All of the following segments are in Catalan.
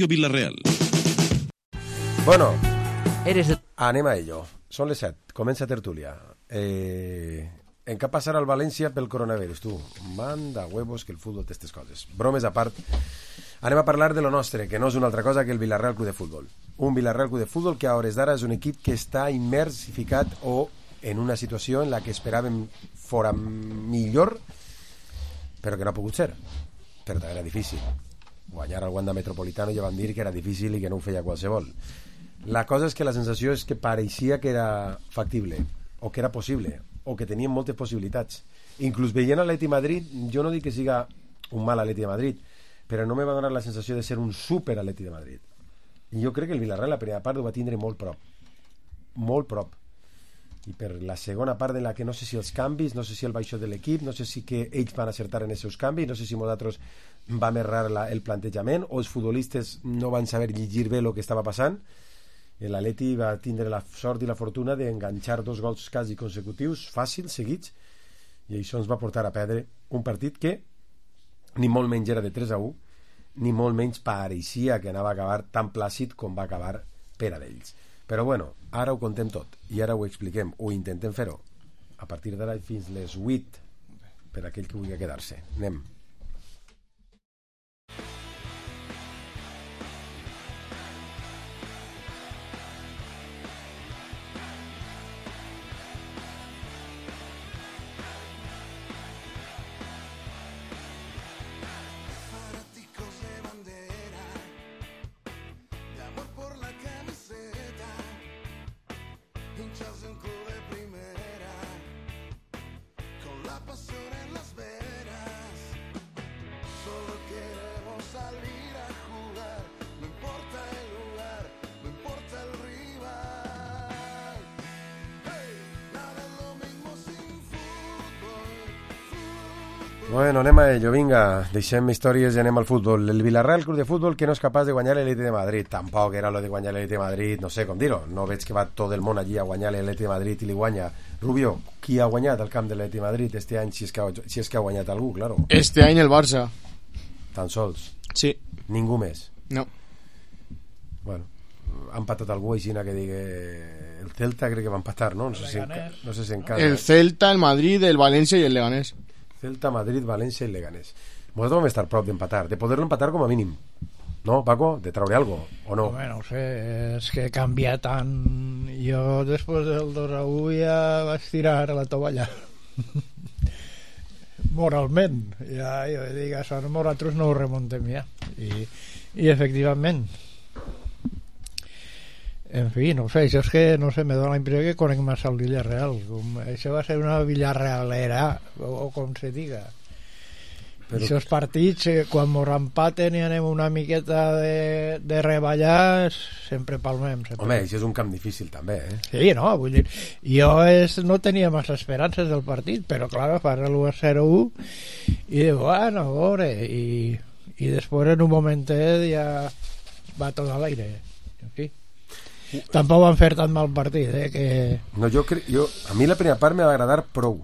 Villarreal. Bueno, anem a ello. Són les 7, comença tertúlia. En què passarà al València pel coronavirus, tu? Manda huevos que el futbol té aquestes coses. Bromes a part, anem a parlar de lo nostre, que no és una altra cosa que el Villarreal Club de Futbol. Un Villarreal Club de Futbol que a hores d'ara és un equip que està immers i ficat o en una situació en la que esperàvem fora millor, però que no ha pogut ser. Però també era difícil. Guanyar al Wanda Metropolitano ja van dir que era difícil i que no ho feia qualsevol. La cosa és que la sensació és que pareixia que era factible, o que era possible, o que tenien moltes possibilitats. Inclús veient l'Atleti Madrid, jo no dic que siga un mal Atleti de Madrid, però no me va donar la sensació de ser un super Atleti de Madrid. I jo crec que el Villarreal la primera part ho va tindre molt prop. Molt prop. I per la segona part en la que no sé si els canvis, no sé si el baixó de l'equip, no sé si que ells van acertar en els seus canvis, no sé si nosaltres vam errar el plantejament o els futbolistes no van saber llegir bé el que estava passant. L'Atleti va tindre la sort i la fortuna d'enganxar 2 gols quasi consecutius, fàcils, seguits, i això ens va portar a perdre un partit que ni molt menys era de 3-1, ni molt menys pareixia que anava a acabar tan plàcid com va acabar per a d'ells. Però bueno, ara ho contem tot i ara ho expliquem, ho intentem fer-ho a partir d'ara fins les 8 per aquell que vulgui quedar-se. Anem. Bueno, anem a ello, vinga, deixem històries i anem al futbol. El Villarreal Club de Futbol que no és capaç de guanyar l'Atleti de Madrid. Tampoc era lo de guanyar l'Atleti de Madrid, no sé com dir-ho. No veig que va tot el món allí a guanyar l'Atleti de Madrid i li guanya. Rubio, qui ha guanyat el camp de l'Atleti de Madrid este any, si és que ha guanyat algú, claro? Este any el Barça. Tan sols? Sí. Ningú més? No. Bueno, ha empatat algú així que digui... El Celta crec que va empatar, no? No sé si en casa. El Celta, el Madrid, el València i el Leganés. Celta, Madrid, València i Leganés. Nosaltres vam estar prop d'empatar, de poder-lo empatar com a mínim. No, Paco? De traure algo, o no? Home, no sé, és que canvia tant. Jo després del 2-1 ja vaig tirar a la tovalla. Moralment. Ja, jo dic, això nosaltres no ho remontem ja. I efectivament. En fi, no sé, això és que, no sé, me dona la impressió que conec massa el Villarreal. Això va ser una Villarrealera, o com se diga. Però... Aquests partits, quan mos empaten i anem una miqueta de reballar, sempre palmem. Sempre. Home, això és un camp difícil també, eh? Sí, no, vull dir, jo no tenia massa esperances del partit, però clar, fas l'1-0-1 i dic, bueno, a veure, i després en un momentet ja va tot a l'aire. En fi. Tampoc van fer tan mal partit, que... No, a mi la primera part m'ha agradar prou,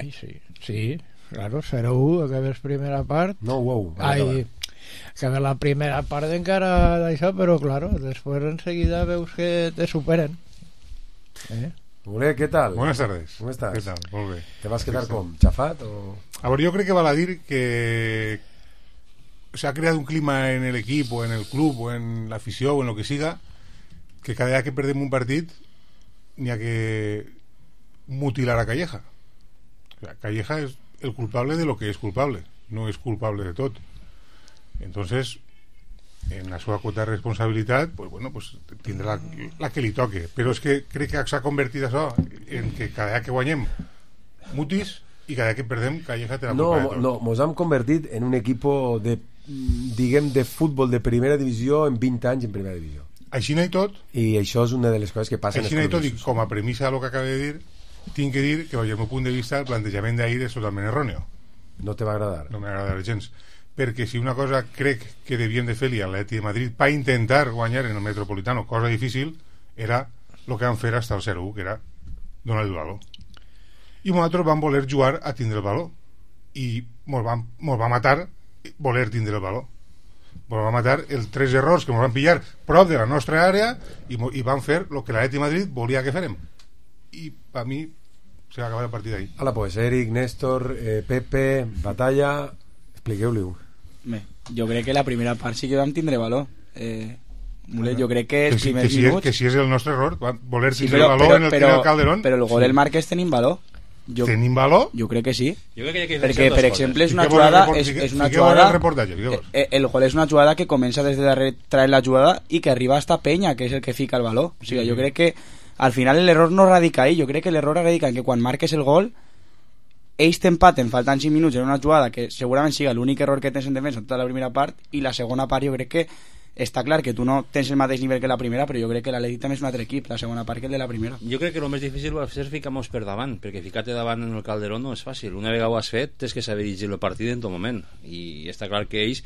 Ai, sí, claro, 0-1, acabes primera part. No, acabes la primera part encara d'això, però claro, després enseguida veus que te superen. Ole, ¿qué tal? Buenas tardes. ¿Cómo estás? ¿Qué tal? Molt bé. ¿Te vas a quedar con chafat o...? A ver, yo creo que vale a dir que se ha creado un clima en el equipo, en el club, o en la afición, o en lo que siga, que cada día que perdemos un partido ni a que mutilar a Calleja. O sea, Calleja es el culpable de lo que es culpable, no es culpable de todo. Entonces, en la seva quota de responsabilitat, pues bueno, pues tindrà la que li toque. Però és que crec que s'ha convertit això en que cada dia que guanyem mutis i cada dia que perdem Calleja té la culpa de tot. No, mos hem convertit en un equipo de futbol de primera divisió en 20 anys en primera divisió. Així n'hi tot. I això és una de les coses que passen. Així n'hi tot, i com a premissa del que acabo de dir, tinc que dir que, des del meu punt de vista, el plantejament d'ahir és totalment erròneo. No te va agradar? No m'agrada gens. Perquè si una cosa crec que devien de fer-li a l'Atleti de Madrid per intentar guanyar en el Metropolitano, cosa difícil, era el que van fer hasta el 0-1, que era donar el valor. I nosaltres vam voler jugar a tindre el valor i mos va matar voler tindre el valor. Ens va matar els 3 errors que ens van pillar prop de la nostra àrea i van fer el que l'Atleti Madrid volia que férem. I per mi se va acabar el partit ahí. Hola, pues Eric, Néstor, Pepe, Batalla, expliqueu-li-ho. Jo crec que la primera part sí que vam tindre valor. Mulet, jo crec que els primers si minuts... que si és el nostre error, voler tindre el valor en el Calderón. Però el gol del Márquez tenim valor. Tenim valor? Jo crec que sí. Jo crec que perquè, per exemple, és una jugada... El gol és una jugada que comença des de darrere traient la jugada i que arriba hasta Peña, que és el que fica el valor. O sigui, jo crec que al final l'error no radica ahí. Jo crec que l'error radica en que quan marques el gol ells t'empaten faltant 5 minuts en una jugada que segurament siga l'únic error que tens en defensa en tota la primera part, i la segona part jo crec que està clar que tu no tens el mateix nivell que la primera, però jo crec que l'Atleti també és un altre equip, la segona part que el de la primera. Jo crec que el més difícil va ser ficar-nos per davant, perquè ficar-te davant en el Calderón no és fàcil. Una vegada ho has fet, tens que saber dirigir el partit en tot moment, i està clar que ells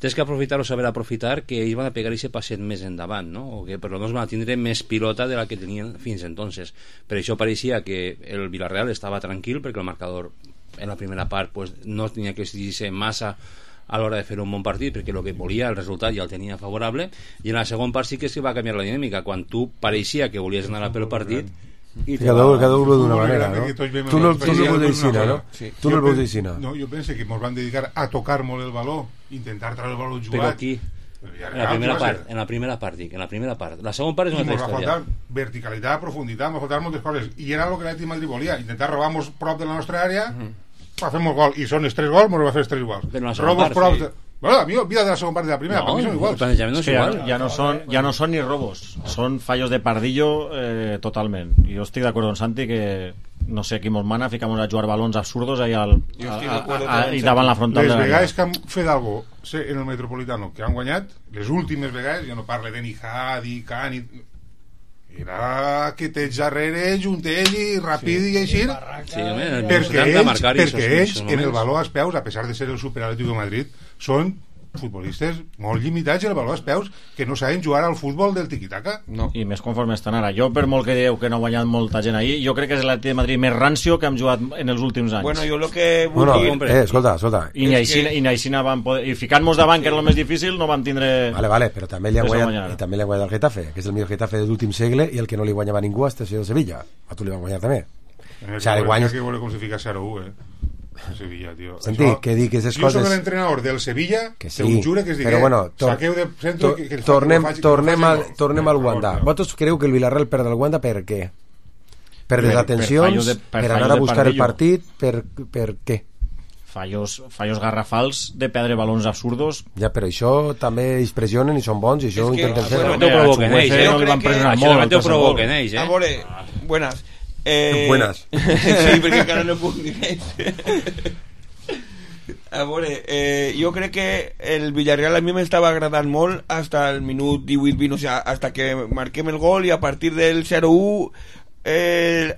tens que aprofitar o saber aprofitar que ells van a pegar i se passen més endavant, no? O que per lo menos van a tindre més pilota de la que tenien fins entonces. Per això pareixia que el Villarreal estava tranquil, perquè el marcador en la primera part pues, no tenia que dirigir massa a l'hora de fer un bon partit, perquè el que volia, el resultat ja el tenia favorable, i en la segona part sí que es va canviar la dinàmica, quan tu pareixia que volies anar a pel partit i cada un d'una manera, no? Tu no el veus d'aixina, no? Tu no el veus d'aixina. No, jo penso que ens van dedicar a tocar molt el valor, intentar treure el valor jugat. Però aquí, en la primera part. La segona part és una altra història. Ens va faltar verticalitat, profunditat, ens va faltar moltes coses, i era el que l'Atleti Madrid volia, intentar robar-nos prop de la nostra àrea per fer molt gol, i són els 3 gols, ens va fer els 3 iguals. Robos prop de... Bueno, a mí olvida de la segunda parte de la primera, para mí son iguales. Ya no son ni robos, son fallos de pardillo totalment. Jo estic d'acord amb Santi que no sé qui mos mana, ficamos a jugar balons absurdos ahí i davant la frontal les de la vegades que han fet algo en el Metropolitano que han guanyat, les últimes vegades, jo no parle de ni Hadi, Cani, era que tens darrere juntet i ràpid i així, perquè ells en el valor als peus, a pesar de ser el Superatlético de Madrid, són futbolistes molt limitats el valor als peus, que no saben jugar al futbol del tiquitaca. No. I més conforme estan ara. Jo, per molt que dieu que no ha guanyat molta gent ahir, jo crec que és l'Atleti de Madrid més rancio que hem jugat en els últims anys. Bueno, jo lo que vull dir... Escolta. I Aixina van poder... I ficant-nos davant, que era el més difícil, no vam tindre... Vale, però també li han guanyat el Getafe, que és el millor Getafe de l'últim segle, i el que no li guanyava ningú hasta el Sevilla. A tu li van guanyar també. O sea, li guanyes... Que vol com si fica 0-1, Sevilla, tío. Sentí, que dic aquestes coses... Jo soc l'entrenador del Sevilla, que sí, te ho jure que es digué, però bueno, tornem al Wanda. Vosaltres creu que el Villarreal perd el Wanda per què? Per desatencions, per anar a buscar el partit, per què? Fallos garrafals de perdre balons absurdos. Ja, però això també ells pressionen i són bons i això ho intenten fer. Això ho provoquen ells, A veure, buenas. Buenas. Sí, perquè encara no puc dir res. A veure, jo crec que el Villarreal a mi m'estava agradant molt hasta el minut 18-20, o sea, hasta que marquem el gol, i a partir del 0-1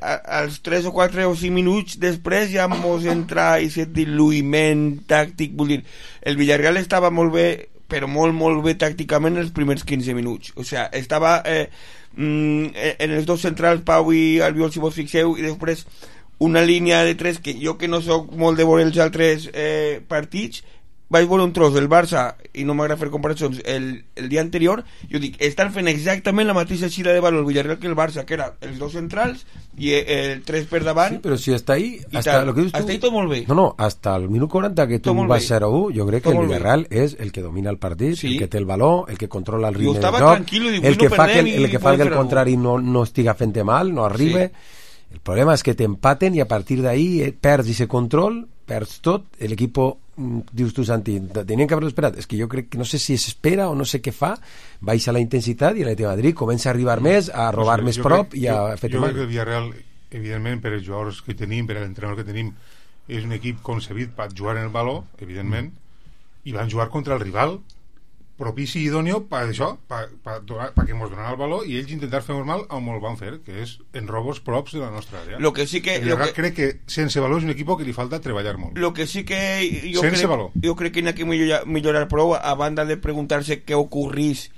als 3 o 4 o 5 minuts després ja mos entra aquest diluïment tàctic. Vull dir, el Villarreal estava molt bé, però molt bé tàcticament els primers 15 minuts, o sea, estava en els dos centrals, Pau i Albiol, si vos fixeu, i després una línia de 3 que jo, que no soc molt de veure els altres partits, vaig veure un tros del Barça i no m'agrada fer comparacions el dia anterior. Jo dic, estan fent exactament la mateixa xira de valor el Villarreal que el Barça, que era els dos centrals i el 3 per davant. Sí, però si hasta ahí lo que dius tu, hasta ahí tot molt bé. No, hasta el minut 40 que tu vas 0-1, jo crec que el Villarreal és el que domina el partit, el que té el valor, el que controla el ritme del joc, el que fa que el contrari no estiga fent mal, no arribe. El problema és que t'empaten i a partir d'ahí perds ese control, perds tot, l'equipo, dius tu, Santi, tenien que haver-ho esperat. És que jo crec que no sé si s'espera o no sé què fa, baixa la intensitat i l'Atleti de Madrid comença a arribar més, a robar més prop i a fer mal. Jo crec que el Villarreal, evidentment, per els jugadors que tenim, per l'entrenador que tenim, és un equip concebit per jugar en el valor, evidentment, i van jugar contra el rival propici i idòneo per això, perquè ens donaran el valor i ells intentar fer mal on el van fer, que és en robos props de la nostra àrea. Lo que sí que crec que sense valor és un equip que li falta treballar molt. Lo que sí que jo crec que hi ha que millorar prou, a banda de preguntar-se què ocorrís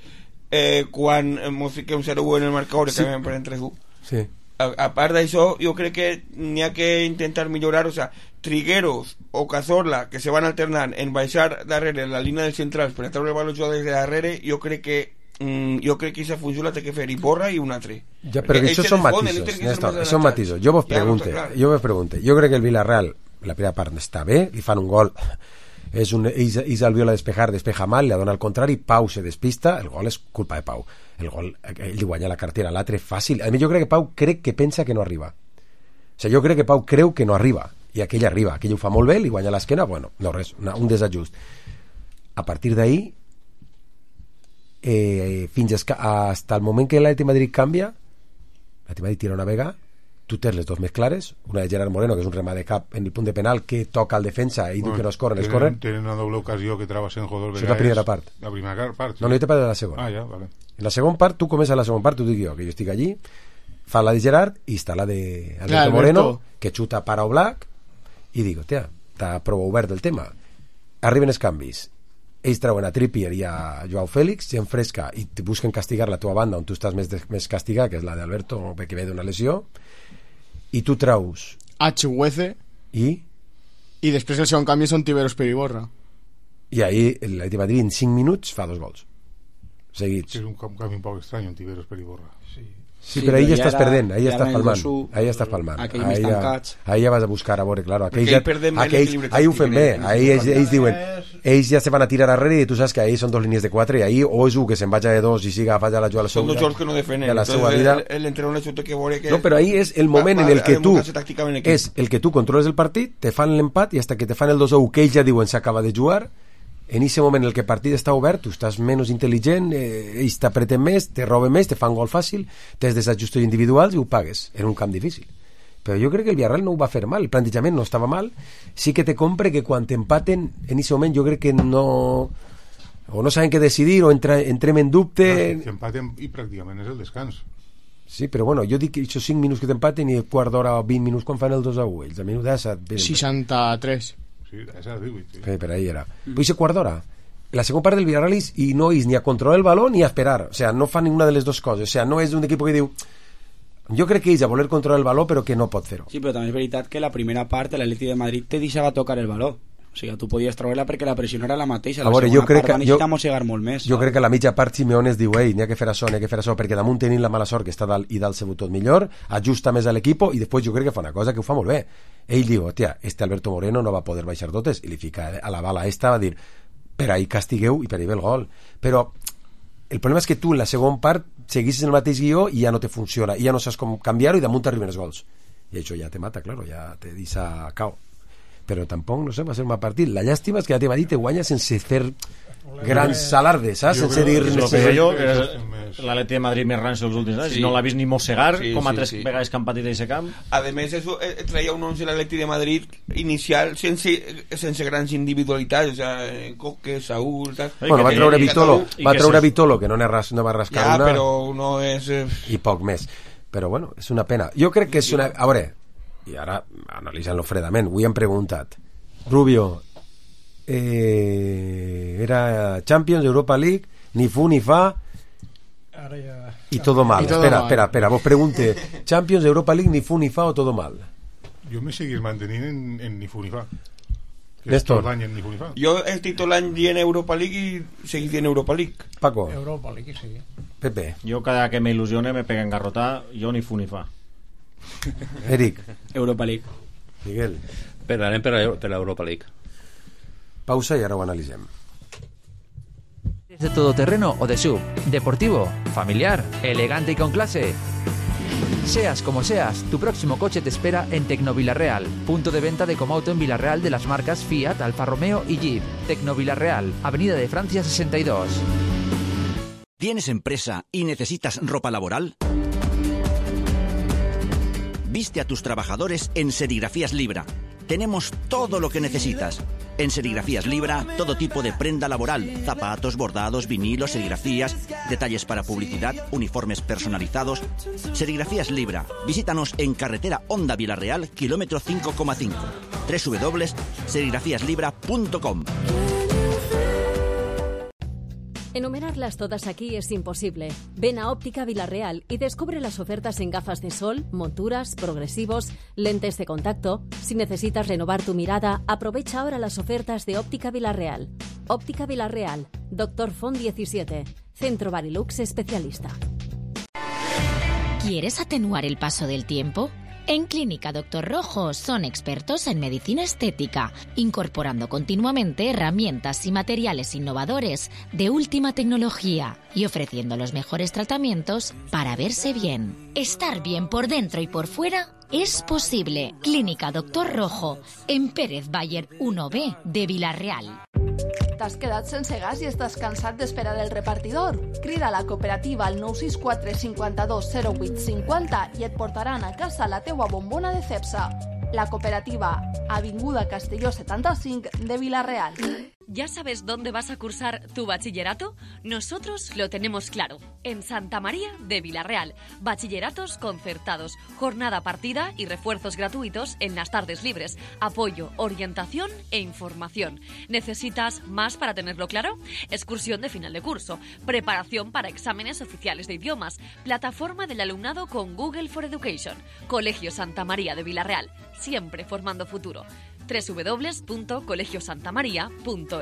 quan ens fiquem 0-1 en el marcador i acabem per 3-1. Sí. A part d'això, jo crec que n'hi ha que intentar millorar, o sea, Trigueros o Cazorla, que se van alternant en baixar darrere la línia dels centrals per a treure el valor jugadors de darrere, jo crec que aquesta funció la té que fer Iborra i un altre. Ja, però això són matisos, Néstor, són matisos. Jo vos pregunte, jo crec que el Villarreal la primera part està bé, li fan un gol, ells el viola despeja mal, li dona al contrari, Pau se despista, el gol és culpa de Pau, el gol, ell li guanya la cartera, l'altre fàcil, a mi jo crec que Pau pensa que no arriba, o sigui, jo crec que Pau creu que no arriba, i aquell arriba, aquell ho fa molt bé, li guanya l'esquena, bueno, no res, un desajust. A partir d'ahí fins hasta el moment que l'Atlètic Madrid canvia, l'Atlètic Madrid tira una vega, tu tens les dos més clares, una de Gerard Moreno, que és un remat de cap en el punt de penal que toca el defensa i diu que no es corren. Tenen una doble ocasió que trava Senjo dos vegades. Això és la primera part. La primera part, sí. No, jo te parlo de la segona. Ah, ja, vale. En la segona part, tu comences la segona part, tu dic jo, que jo estic allí, fa la de Gerard i està la de Alberto Moreno, que xuta para Oblak, i dic, hòstia, està prou obert el tema. Arriben els canvis, ells treuen a Trippier i a Joao Félix, gent fresca, i te busquen castigar la tua banda on tu estàs més castigat, que és la d'Alberto, que ve d'una lesió, i tu treus a Chuguece i després el segon canvi són Tiberos per Iborra, i ahir l'Atlètic Madrid en 5 minuts fa 2 gols seguits. És un canvi un poc estrany, un Tiberos per Iborra. Sí, però ahir ja estàs perdent, ahir estàs palmant, ahir ja vas a buscar a veure, claro, ahir ho fem bé, ahir ells diuen, ells ja se van a tirar arrere i tu saps que ahir són 2 línies de 4 i ahir o és un que se'n vaja de 2 i siga a fallar la jugada són 2 jocs que no defenen, l'entrenador té que veure que... No, però ahir és el moment en el que tu és el que tu controles el partit, te fan l'empat i hasta que te fan el 2-1 que ells ja diuen s'acaba de jugar. En aquest moment en el que el partit està obert, tu estàs menys intel·ligent, ells t'apreten més, te roben més, te fan gol fàcil, tens desajustos individuals i ho pagues. Era un camp difícil. Però jo crec que el Villarreal no ho va fer mal, el plantejament no estava mal, sí que te compre que quan t'empaten, en aquest moment jo crec que no... o no saben què decidir, o entrem en dubte... T'empaten i pràcticament és el descans. Sí, però bueno, jo dic que aquests 5 minuts que t'empaten i quart d'hora o 20 minuts quan fan el 2-1, ells a minut 63. Sí, esa 18, sí. Per ahí era. Pues ese quart d'hora. La segunda parte del Villarreal y no es ni a controlar el balón ni a esperar. O sea, no fan ninguna de las dos coses. O sea, no és un equipo que diu... Jo crec que ells a voler controlar el baló però que no pot fer-ho. Sí, però també és veritat que la primera part l'Atlètic de Madrid te deixava tocar el baló. O sigui, tu podies treure-la perquè la pressió era la mateixa. La segona part va necessitar mossegar molt més. Jo crec que a la mitja part Simeone es diu n'hi ha que fer això, perquè damunt tenim la mala sort que està dalt i dalt se tot millor, ajusta més a l'equip i després jo crec que fa una cosa que ho fa molt bé. Ell diu, hòstia, Alberto Moreno no va poder baixar totes i li fica a la bala esta, va dir, per ahí castigueu i per ahí ve el gol. Però el problema és que tu en la segona part seguissis el mateix guió i ja no te funciona, i ja no saps com canviar-ho i damunt arriben els gols. I això ja te mata, claro, ja te deixa cao. Però tampoc, no sé, va ser un mal partit. La llàstima és que l'Atlètic Madrid te guanya sense fer grans alardes, saps? Sense dir... L'Atlètic de Madrid més rancio els últims anys, no l'ha vist ni mossegar, com a 3 vegades que han patit d'aquest camp. A més, traia un 11 l'Atlètic de Madrid inicial sense grans individualitats, o sea, Coque, Saúl... Bueno, va treure Vitolo, que no va rascar una... Ja, però no és... I poc més. Però bueno, és una pena. Jo crec que és una... A veure, i ara analitzant-lo fredament, avui han preguntat Rubio era Champions, Europa League, ni fu ni fa y todo mal. Espera, vos pregunte Champions, Europa League, ni fu ni fa o todo mal. Jo me seguís mantenint en ni fu ni fa. Néstor, jo estic tot l'any dient Europa League i seguís dient Europa League. Paco. Europa League, sí. Pepe. Jo cada que me il·lusione me pega engarrotar, jo ni fu ni fa. Eric. Europa League. Miguel. Anem per l'Europa League. Pausa y ahora lo analizem. ¿Es de todoterreno o de SUV? ¿Deportivo? ¿Familiar? ¿Elegante y con clase? Seas como seas, tu próximo coche te espera en Tecnovillarreal, punto de venta de Comauto en Villarreal de las marcas Fiat, Alfa Romeo y Jeep. Tecnovillarreal, Avenida de Francia 62. ¿Tienes empresa y necesitas ropa laboral? Viste a tus trabajadores en Serigrafías Libra. Tenemos todo lo que necesitas. En Serigrafías Libra, todo tipo de prenda laboral, zapatos, bordados, vinilos, serigrafías, detalles para publicidad, uniformes personalizados. Serigrafías Libra. Visítanos en carretera Honda Villarreal, kilómetro 5,5. www.serigrafiaslibra.com. Enumerarlas todas aquí es imposible. Ven a Óptica Villarreal y descubre las ofertas en gafas de sol, monturas, progresivos, lentes de contacto. Si necesitas renovar tu mirada, aprovecha ahora las ofertas de Óptica Villarreal. Óptica Villarreal, Dr. Font 17, Centro Barilux especialista. ¿Quieres atenuar el paso del tiempo? En Clínica Dr. Rojo son expertos en medicina estética, incorporando continuamente herramientas y materiales innovadores de última tecnología y ofreciendo los mejores tratamientos para verse bien. Estar bien por dentro y por fuera es posible. Clínica Dr. Rojo, en Pérez Bayer 1B de Vila-real. T'has quedat sense gas i estàs cansat d'esperar el repartidor? Crida a la cooperativa al 964 52 08 50 i et portaran a casa la teua bombona de Cepsa. La cooperativa, Avinguda Castelló 75 de Vila-real. ¿Ya sabes dónde vas a cursar tu bachillerato? Nosotros lo tenemos claro. En Santa María de Vila-real. Bachilleratos concertados, jornada partida y refuerzos gratuitos en las tardes libres. Apoyo, orientación e información. ¿Necesitas más para tenerlo claro? Excursión de final de curso. Preparación para exámenes oficiales de idiomas. Plataforma del alumnado con Google for Education. Colegio Santa María de Vila-real. Siempre formando futuro. www.colegiosantamaria.es.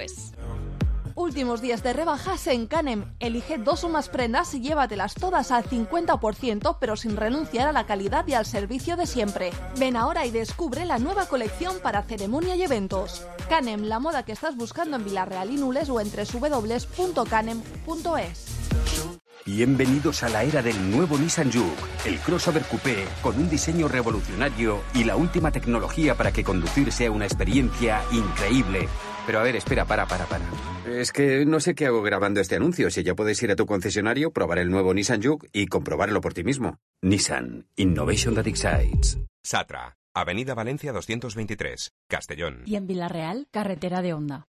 Últimos días de rebajas en Canem. Elige 2 o más prendas y llévatelas todas al 50%, pero sin renunciar a la calidad y al servicio de siempre. Ven ahora y descubre la nueva colección para ceremonia y eventos. Canem, la moda que estás buscando en Vila-real y Nules o en www.canem.es. Bienvenidos a la era del nuevo Nissan Juke, el crossover coupé con un diseño revolucionario y la última tecnología para que conducir sea una experiencia increíble. Pero a ver, espera, para. Es que no sé qué hago grabando este anuncio. Si ya puedes ir a tu concesionario, probar el nuevo Nissan Juke y comprobarlo por ti mismo. Nissan, Innovation that excites. Satra, Avenida Valencia 223, Castellón. Y en Vila-real, carretera de Honda.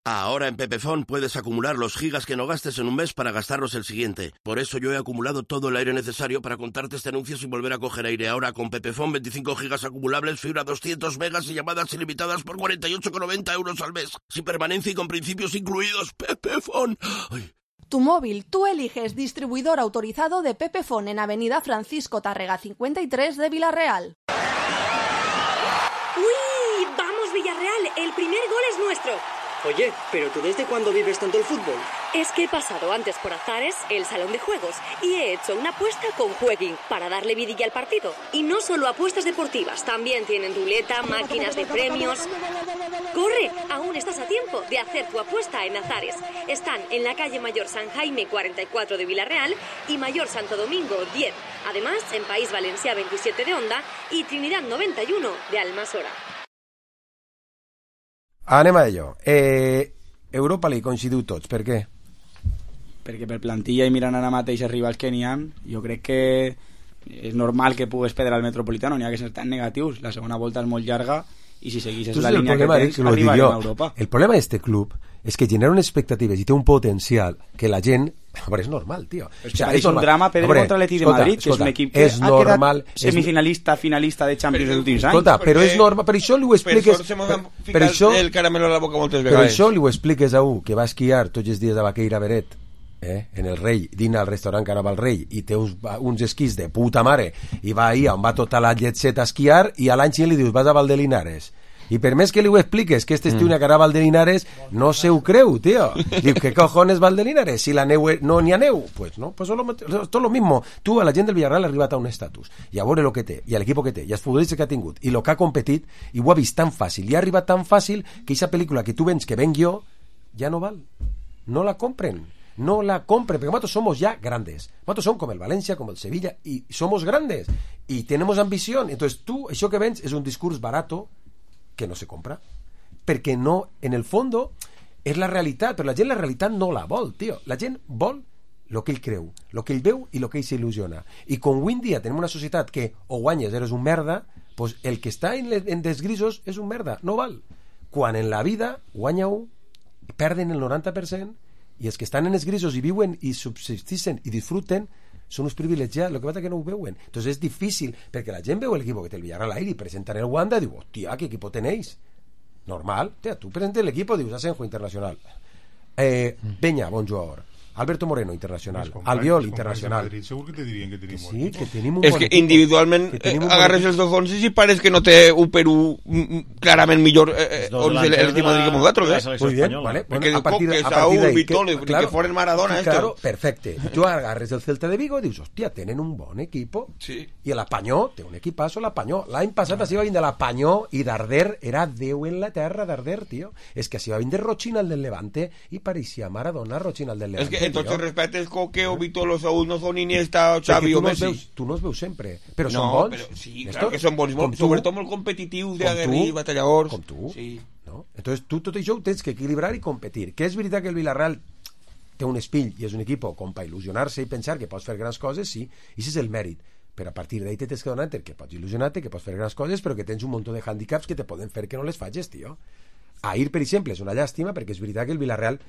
Ahora en Pepefon puedes acumular los gigas que no gastes en un mes para gastarlos el siguiente. Por eso yo he acumulado todo el aire necesario para contarte este anuncio sin volver a coger aire. Ahora con Pepefon 25 gigas acumulables, fibra 200 megas y llamadas ilimitadas por 48,90 euros al mes. Sin permanencia y con principios incluidos. Pepefon. Ay. Tu móvil, tú eliges distribuidor autorizado de Pepefon en Avenida Francisco Tárrega 53 de Vila-real. ¡Uy! ¡Vamos Villarreal! El primer gol es nuestro. Oye, ¿pero tú desde cuándo vives tanto el fútbol? Es que he pasado antes por Azares, el salón de juegos, y he hecho una apuesta con Jueguin para darle vidilla al partido. Y no solo apuestas deportivas, también tienen ruleta, máquinas de premios. ¡Corre! Aún estás a tiempo de hacer tu apuesta en Azares. Están en la calle Mayor San Jaime 44 de Vila-real y Mayor Santo Domingo 10. Además, en País Valencià 27 de Honda y Trinidad 91 de Almasora. Anem a ello. Europa League coincidiu tots, per què? Perquè per plantilla i mirant ara mateix els rivals que n'hi ha, jo crec que és normal que pugues perdre al Metropolitano, n'hi ha que ser tan negatius, la segona volta és molt llarga i si segueixes la línia que tens, arribarem a Europa. El problema d'este club és que genera unes expectatives i té un potencial que la gent... Però és normal, tio. O sea, és un drama perdre contra l'Atlètic de Madrid, que és un equip que ha quedat semifinalista, finalista de Champions dels últims anys. Escolta, però és normal, per això li ho expliques... Per això el caramelo a la boca moltes vegades. Per això li ho expliques a un que va esquiar tots els dies de Baqueira Beret, en el Rei, dina al restaurant que anava al Rei i té uns esquís de puta mare i va ahir on va tota la llet set a esquiar i a l'any li dius vas a Valdelinares. I per més que li ho expliques que este estiu una cara a Valdelinares, no se ho creu, tío. Diu, ¿qué cojones Valdelinares? Si la neu no n'hi ha neu. Pues no, pues tot lo mismo. Tu, a la gent del Villarreal ha arribat a un estatus, i a veure el que té, i a l'equip que té, i els futbolistes que ha tingut, i el que ha competit, i ho ha vist tan fàcil, i ha arribat tan fàcil que aquesta pel·lícula que tu vens que venc jo, ja no val. No la compren. No la compren, porque nosotros somos ya grandes. Nosotros somos como el Valencia, como el Sevilla, y somos grandes. Y tenemos ambición. Entonces tú, això que vens és un discurs barato que no se compra. Perquè no, en el fondo, és la realitat, però la gent la realitat no la vol, tio. La gent vol el que ell creu, el que ell veu i el que ell s'il·lusiona. I com avui en dia tenim una societat que o guanyes eres un merda, pues el que està en desgrisos és un merda, no val. Quan en la vida guanya un, perden el 90%, i els que estan en els grisos i viuen i subsistixen i disfruten són uns privilegiats, el que passa que no ho veuen. Entonces és difícil, perquè la gent veu el equipo que té el Villarreal ahí i presentan el Wanda i diu, hòstia, ¿qué equipo tenéis? Normal, tia, tu presentes el equipo, dius Asenjo Internacional. Peña, bon jugador. Alberto Moreno, internacional. Albiol, internacional. Segur que te dirien que tenim sí, que tenim un és que individualment agarres els dos 11 i pareix que no té un Perú clarament millor 11 l'equip Madrid que nosaltres, Muy bien, vale. Perquè Bueno, diu que Saúl, Vitolo, que foren Maradona, claro, perfecte. Tu agarres el Celta de Vigo i dius, hòstia, tenen un bon equipo. Sí. I l'Apanyó, té un equipazo, l'Apanyó. L'any passat així va vindre l'Apanyó i Darder era Déu en la terra, Darder, tio. És que així va vindre Rochina, el del Levante, i pareixia Maradona, Rochina, el del Levante. És que entonces respetes Coque o Vitolo, Saúl no són Iniesta o Xavi o Messi. Tu no els veus sempre, però no, són bons. Però sí, clar que són bons, sobretot molt competitius, d'aguerrir, batalladors. Com tu. Sí. No? Entonces tu tot això ho tens que equilibrar i competir. Que és veritat que el Villarreal té un espill i és un equip com per il·lusionar-se i pensar que pots fer grans coses, sí, i això és el mèrit. Però a partir d'ahí tens que donar que pots il·lusionar-te, que pots fer grans coses, però que tens un munt de hàndicaps que te poden fer que no les facis, tio. Ahir, per exemple, és una llàstima perquè és veritat que el Villarreal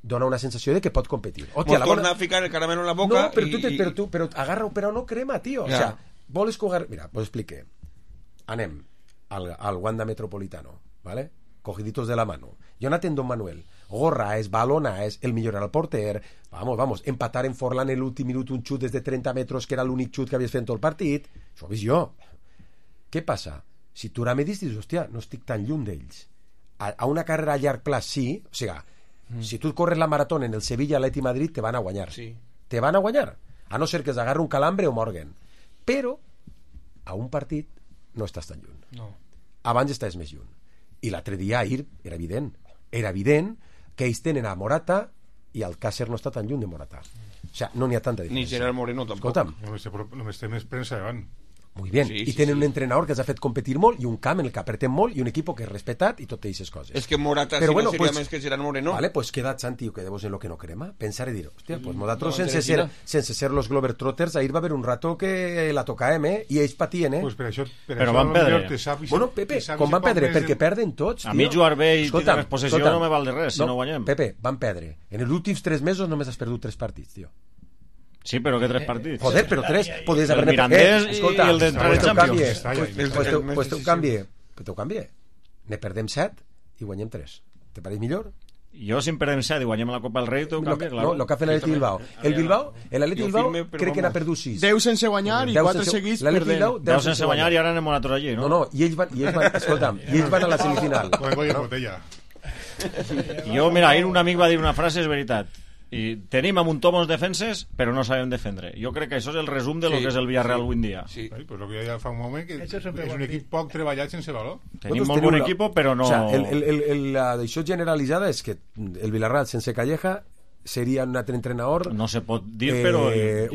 dona una sensació de que pot competir. Hòstia, torna a ficar el caramelo en la boca. No, però agarra-ho, però no crema, tio. O sea, vols que mira, pues explique. Anem al Wanda Metropolitano, ¿vale? Cogiditos de la mano. Jonathan Don Manuel, Gorraes, Balonaes, el millor al porter, vamos, empatar en Forlán en l'últim minut un xut des de 30 metres que era l'únic xut que havies fet en tot el partit. Això ho he vist jo. Què passa? Si tu ara me dius, hòstia, no estic tan lluny d'ells. A una carrera a llarg plaç, sí, o sigui, si tu corres la marató en el Sevilla, Atleti Madrid, te van a guanyar. Sí. Te van a guanyar. A no ser que s'agarre un calambre o morguen. Però a un partit no estàs tan lluny. No. Abans estàs més lluny. I l'altre dia, ahir, era evident. Era evident que ells tenen a Morata i Alcácer no està tan lluny de Morata. O sea, no n'hi ha tanta diferència. Ni Gerard Moreno tampoc. Escolta'm. Només té més premsa davant. Muy bien, i tenen un entrenador que els ha fet competir molt i un camp en el que apretem molt i un equip que és respetat i totes aquestes coses. És que Morata però, si no seria més que Gerard Moreno. Vale, pues queda't, Santi, que quedemos en lo que no crema. Pensar i dir, hòstia, pues nosaltres sense ser los Globetrotters, ahir va haver un rato que la tocàvem, i ells patien, Pues per això van perdre. Bueno, Pepe, com van perdre? Perquè perden tots, tio. A mi jugar bé i tindre possessió no me val de res, si no guanyem. Pepe, van perdre. En els últims 3 mesos només has perdut 3 partits, tio. Sí, però que 3 partits. Joder, però 3 podies haver... El Mirandés i el d'entrar en Champions. Pues te ho canvie. Ne perdem 7 i guanyem 3. Te pareix millor? Jo, si en perdem 7 i guanyem la Copa del Rei, t'ho canvia, clar. No, el que ha fet l'Atleti Bilbao. L'Atleti Bilbao crec que n'ha perdut 6. 10 sense guanyar i 4 seguits perdent. 10 sense guanyar i ara anem nosaltres allí, no? No, i ells van... Escolta'm, i ells van a la semifinal. Jo, mira, ahir un amic va dir una frase, és veritat. I tenim a muntomos defenses, però no sabem defendre. Jo crec que això és el resum de lo que és el Villarreal avui en dia. Sí, pues lo que ja fa un moment que és un equip poc treballat sense valor. Tenim molt bon equip, però no... O sea, això generalitzada és que el Villarreal sense Calleja seria un altre entrenador... No se pot dir, però...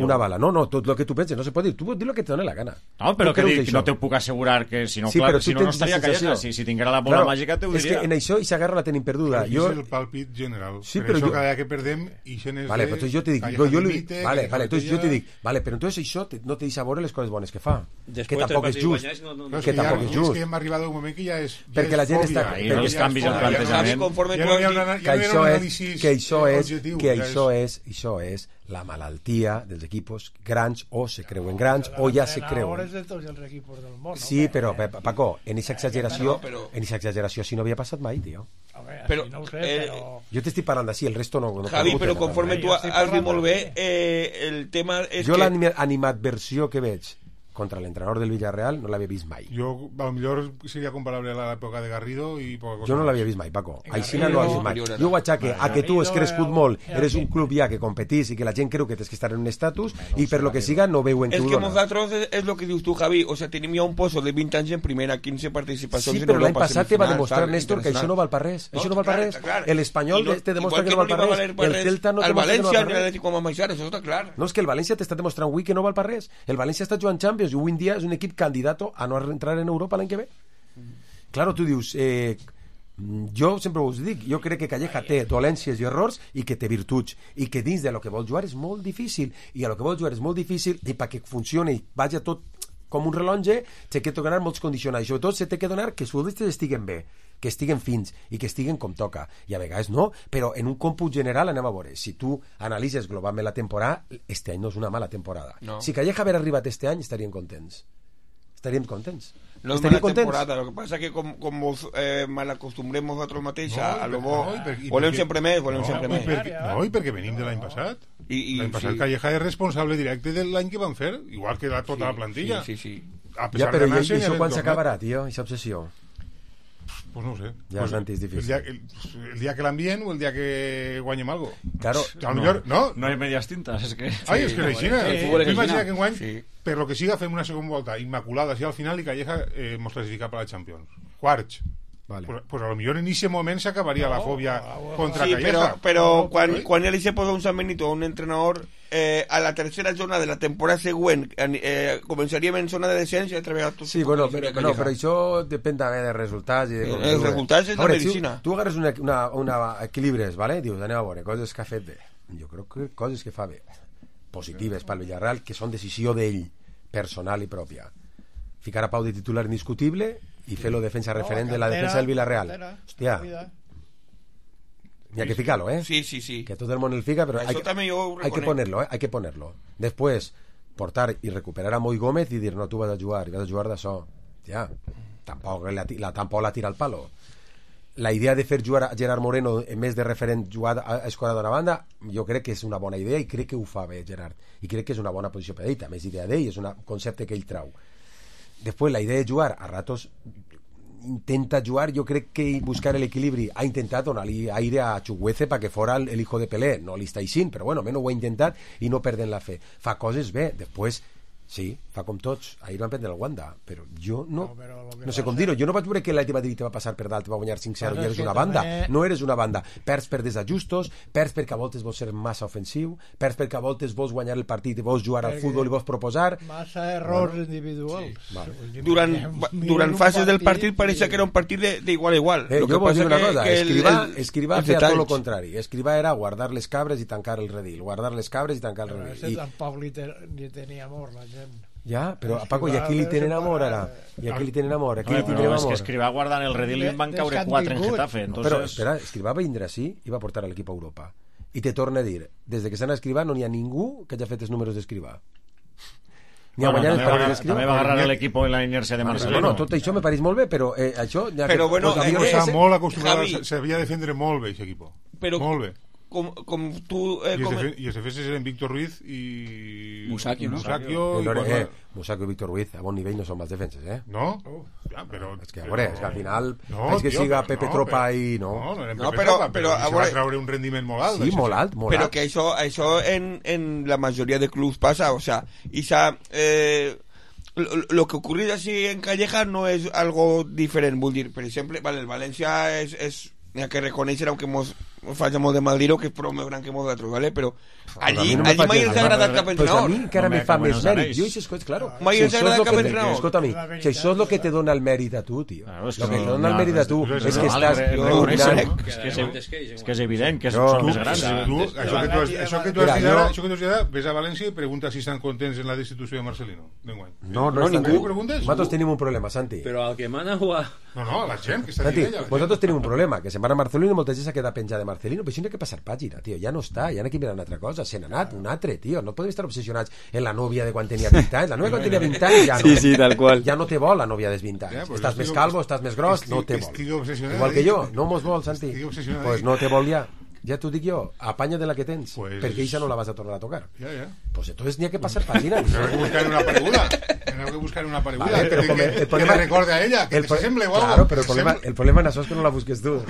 Una bala. No, tot el que tu penses no se pot dir. Tu pots dir el que te doni la gana. No, però que dic, no te puc assegurar que si no, sí, clar, si no estaria Calleja. Si tinguera la bola màgica te ho diria. És que en això i s'agarra la tenim perduda. És el pàlpit general. Sí, per això cada dia que perdem ixen és vale, però jo te dic, però entonces això no te deixa veure les coses bones que fa. Que tampoc és just. Que tampoc és just. És que hem arribat a un moment que ja és... Perquè la gent està... Els canvis en plantejament. Que això és la malaltia dels equipos grans, o se creuen grans o ja se creuen. De tots els equipos del món, sí, però Paco, en aquesta exageració si no havia passat mai, tio. Però, no ho sé, però... Jo t'estic parlant d'ací, el resto no... Javi, però conforme tu has dit molt bé, el tema és jo l'animadversió que veig contra l'entrenador del Villarreal no l'havia vist mai. Jo, a lo millor seria comparable a l'època de Garrido i poca cosa. Jo no l'havia vist mai, Paco. Aixina no l'havia vist mai. Jo ho achaque a que tu has crescut molt, eres un club ja que competís i que la gent creu que tens que estar en un estatus i per lo que siga no veuen que ho dona. És que nosaltres, és lo que dius tu, Javi, o sea, tenim ja un pozo de 20 anys en primera, 15 participacions en Europa. Sí, però l'any passat te va demostrar, Néstor, que això no val per res. Això no val per res. L'Espanyol te demostra que no val per res. El Celta no te demostra que no val per res. El València, l'Atlético Mamaixa, això està clar. No, és que el València t'està demostrant avui que no val per res. El València està jugant Champions i avui en dia és un equip candidato a no entrar en Europa l'any que ve. Claro, tu dius jo sempre us dic, jo crec que Calleja té dolències i errors i que té virtuts i que dins de lo que vol jugar és molt difícil i a lo que vol jugar és molt difícil i perquè funcioni i vagi tot com un rellotge té que donar molts condicionants i sobretot se té que donar que els futbolistes estiguen bé, que estiguen fins i que estiguen com toca i a vegades no, però en un còmput general anem a veure, si tu analitzes globalment la temporada, este any no és una mala temporada. Si Calleja haver arribat este any estarien contents estaríem contents. No es mala temporada, lo que pasa que como mal acostumbremos nosotros mateix a lo bo, volem sempre més, No, i perquè venim de l'any passat. L'any passat Calleja és responsable directe de l'any que van fer, igual que tota la plantilla. Sí. Ja, però i això quan s'acabarà, tio, aquesta obsessió? Pues no ho sé. Ja, Santi, és difícil. El dia que l'envien o el dia que guanyem algo. Claro. No hay medias tintas, es que... Ai, és que imagina que enguany, per lo que siga, fem una segona volta immaculada, si al final i Calleja mos classifica per la Champions. Quarts. Vale. Pues a lo millor en ese moment s'acabaria la fòbia contra Calleja. Però quan ell se posa un San Benito o un entrenador a la tercera jornada de la temporada següent començaríem en zona de descens i treballar tots. Sí, bueno, però això depèn també de resultats. Els resultats és la medicina. Tu agarres una equilibres, ¿vale? Dius, anem a veure, coses que ha fet bé. Jo crec que coses que fa bé, positives pel Villarreal, que són decisió d'ell, personal i pròpia. Ficar a Pau de titular indiscutible y fer-lo defensa referent de la defensa del Villarreal. Hòstia, hay que ficarlo, Sí. Que todo el mundo el fica, pero hay que ponerlo, Después, portar y recuperar a Moy Gómez y dir, no, tú vas a jugar d'això. Ja, tampoc la tira al palo. La idea de fer jugar a Gerard Moreno en més de referent jugar a escorar d'una banda, jo crec que és una bona idea i crec que ho fa bé Gerard, i crec que és una bona posició per ell, també és idea d'ell, és un concepte que ell trau. Després la idea de jugar a ratos intenta jugar, jo crec que buscar el equilibri, ha intentat donar-li aire a Chukwueze perquè fora el hijo de Pelé, no li està així, però bueno, almenys ho ha intentat i no perden la fe, fa coses bé. Després sí, fa com tots, ahir van prendre el Wanda, però jo no sé com dir-ho, jo no vaig veure que l'Atleti Madrid te va passar per dalt, te va guanyar 5-0 i eres una banda, no eres una banda, perds per desajustos, perds perquè a voltes vols ser massa ofensiu, perds perquè a voltes vols guanyar el partit i vols jugar al futbol i vols proposar massa errors individuals. Durant fases del partit pareixia que era un partit d'igual a igual. Jo vull dir una cosa, Escrivà feia tot el contrari, Escrivà era guardar les cabres i tancar el redil, tampoc li tenia amor la gent. Ja, però a Paco, i aquí li tenen amor ara. I aquí li tenen amor, aquí li tindrem amor. És que Escrivà guardant el redil i van caure 4 en Getafe. Però, espera, Escrivà va vindre així i va portar l'equip a Europa. I te torna a dir, des que s'han a Escrivà no n'hi ha ningú que hagi fet els números d'Escrivà. També va agarrar l'equip en la inèrcia de Marcelino. Bueno, tot això me pareix molt bé, però això... Però bueno, està molt acostumat, s'havia de defendre molt bé aquest equip. Molt bé. Com tu... I els defenses eren Víctor Ruiz i... Musacchio, ¿no? Musacchio i Víctor Ruiz a bon nivell no són mals defenses, No? Però... És que, a veure, és que al final és que siga Pepe Tropa i... No eren Pepe Tropa, però se va treure un rendiment molt alt. Sí, molt alt. Però que això en la majoria de clubs passa, o sea, lo que ocurre así en Calleja no es algo diferent, vull dir, per exemple, el València és n'hi ha que reconèixer, aunque falla molt de mal dir-ho, que és prou més gran que molts d'altres, ¿vale? Però allí mai els ha agradat cap entrenador. Però a mi encara me fa més mèrit. Jo aquestes coses, claro. Mai els ha agradat cap entrenador. Escolta, si això és el que te dona el mèrit a tu, tio. El que te dona el mèrit a tu és que estàs... És que és evident que són més grans. Això que tu has dit ara, ves a València i pregunta si estan contents en la destitució de Marcelino. No, ningú. Nosaltres tenim un problema, Santi. Però al que mana o a... No, la gent que està dient ella. Nosaltres tenim un problema, que se'n va a Marcelino i molta gent s'ha quedat penjada de Marcelino, però això no ha que passar pàgina, tio, ja no està, ja n'ha que mirar una altra cosa, se n'ha anat un altre, tio, no podem estar obsessionats en la nòvia de quan tenia 20 anys, la nòvia quan tenia 20 anys ja no, sí, tal qual. Ja no te vol la nòvia dels 20 anys, estàs més calvo, estàs més gros, no te vol, igual que jo, no mos vol, Santi, pues no te vol ja t'ho dic jo, apanya de la que tens, perquè eixa no la vas a tornar a tocar. Pues entonces n'hi ha que passar pàgina. N'hi ha que buscar una pareguda, que me recorde a ella, que se semble o algo. Claro, pero el problema en això és que no la busques tu.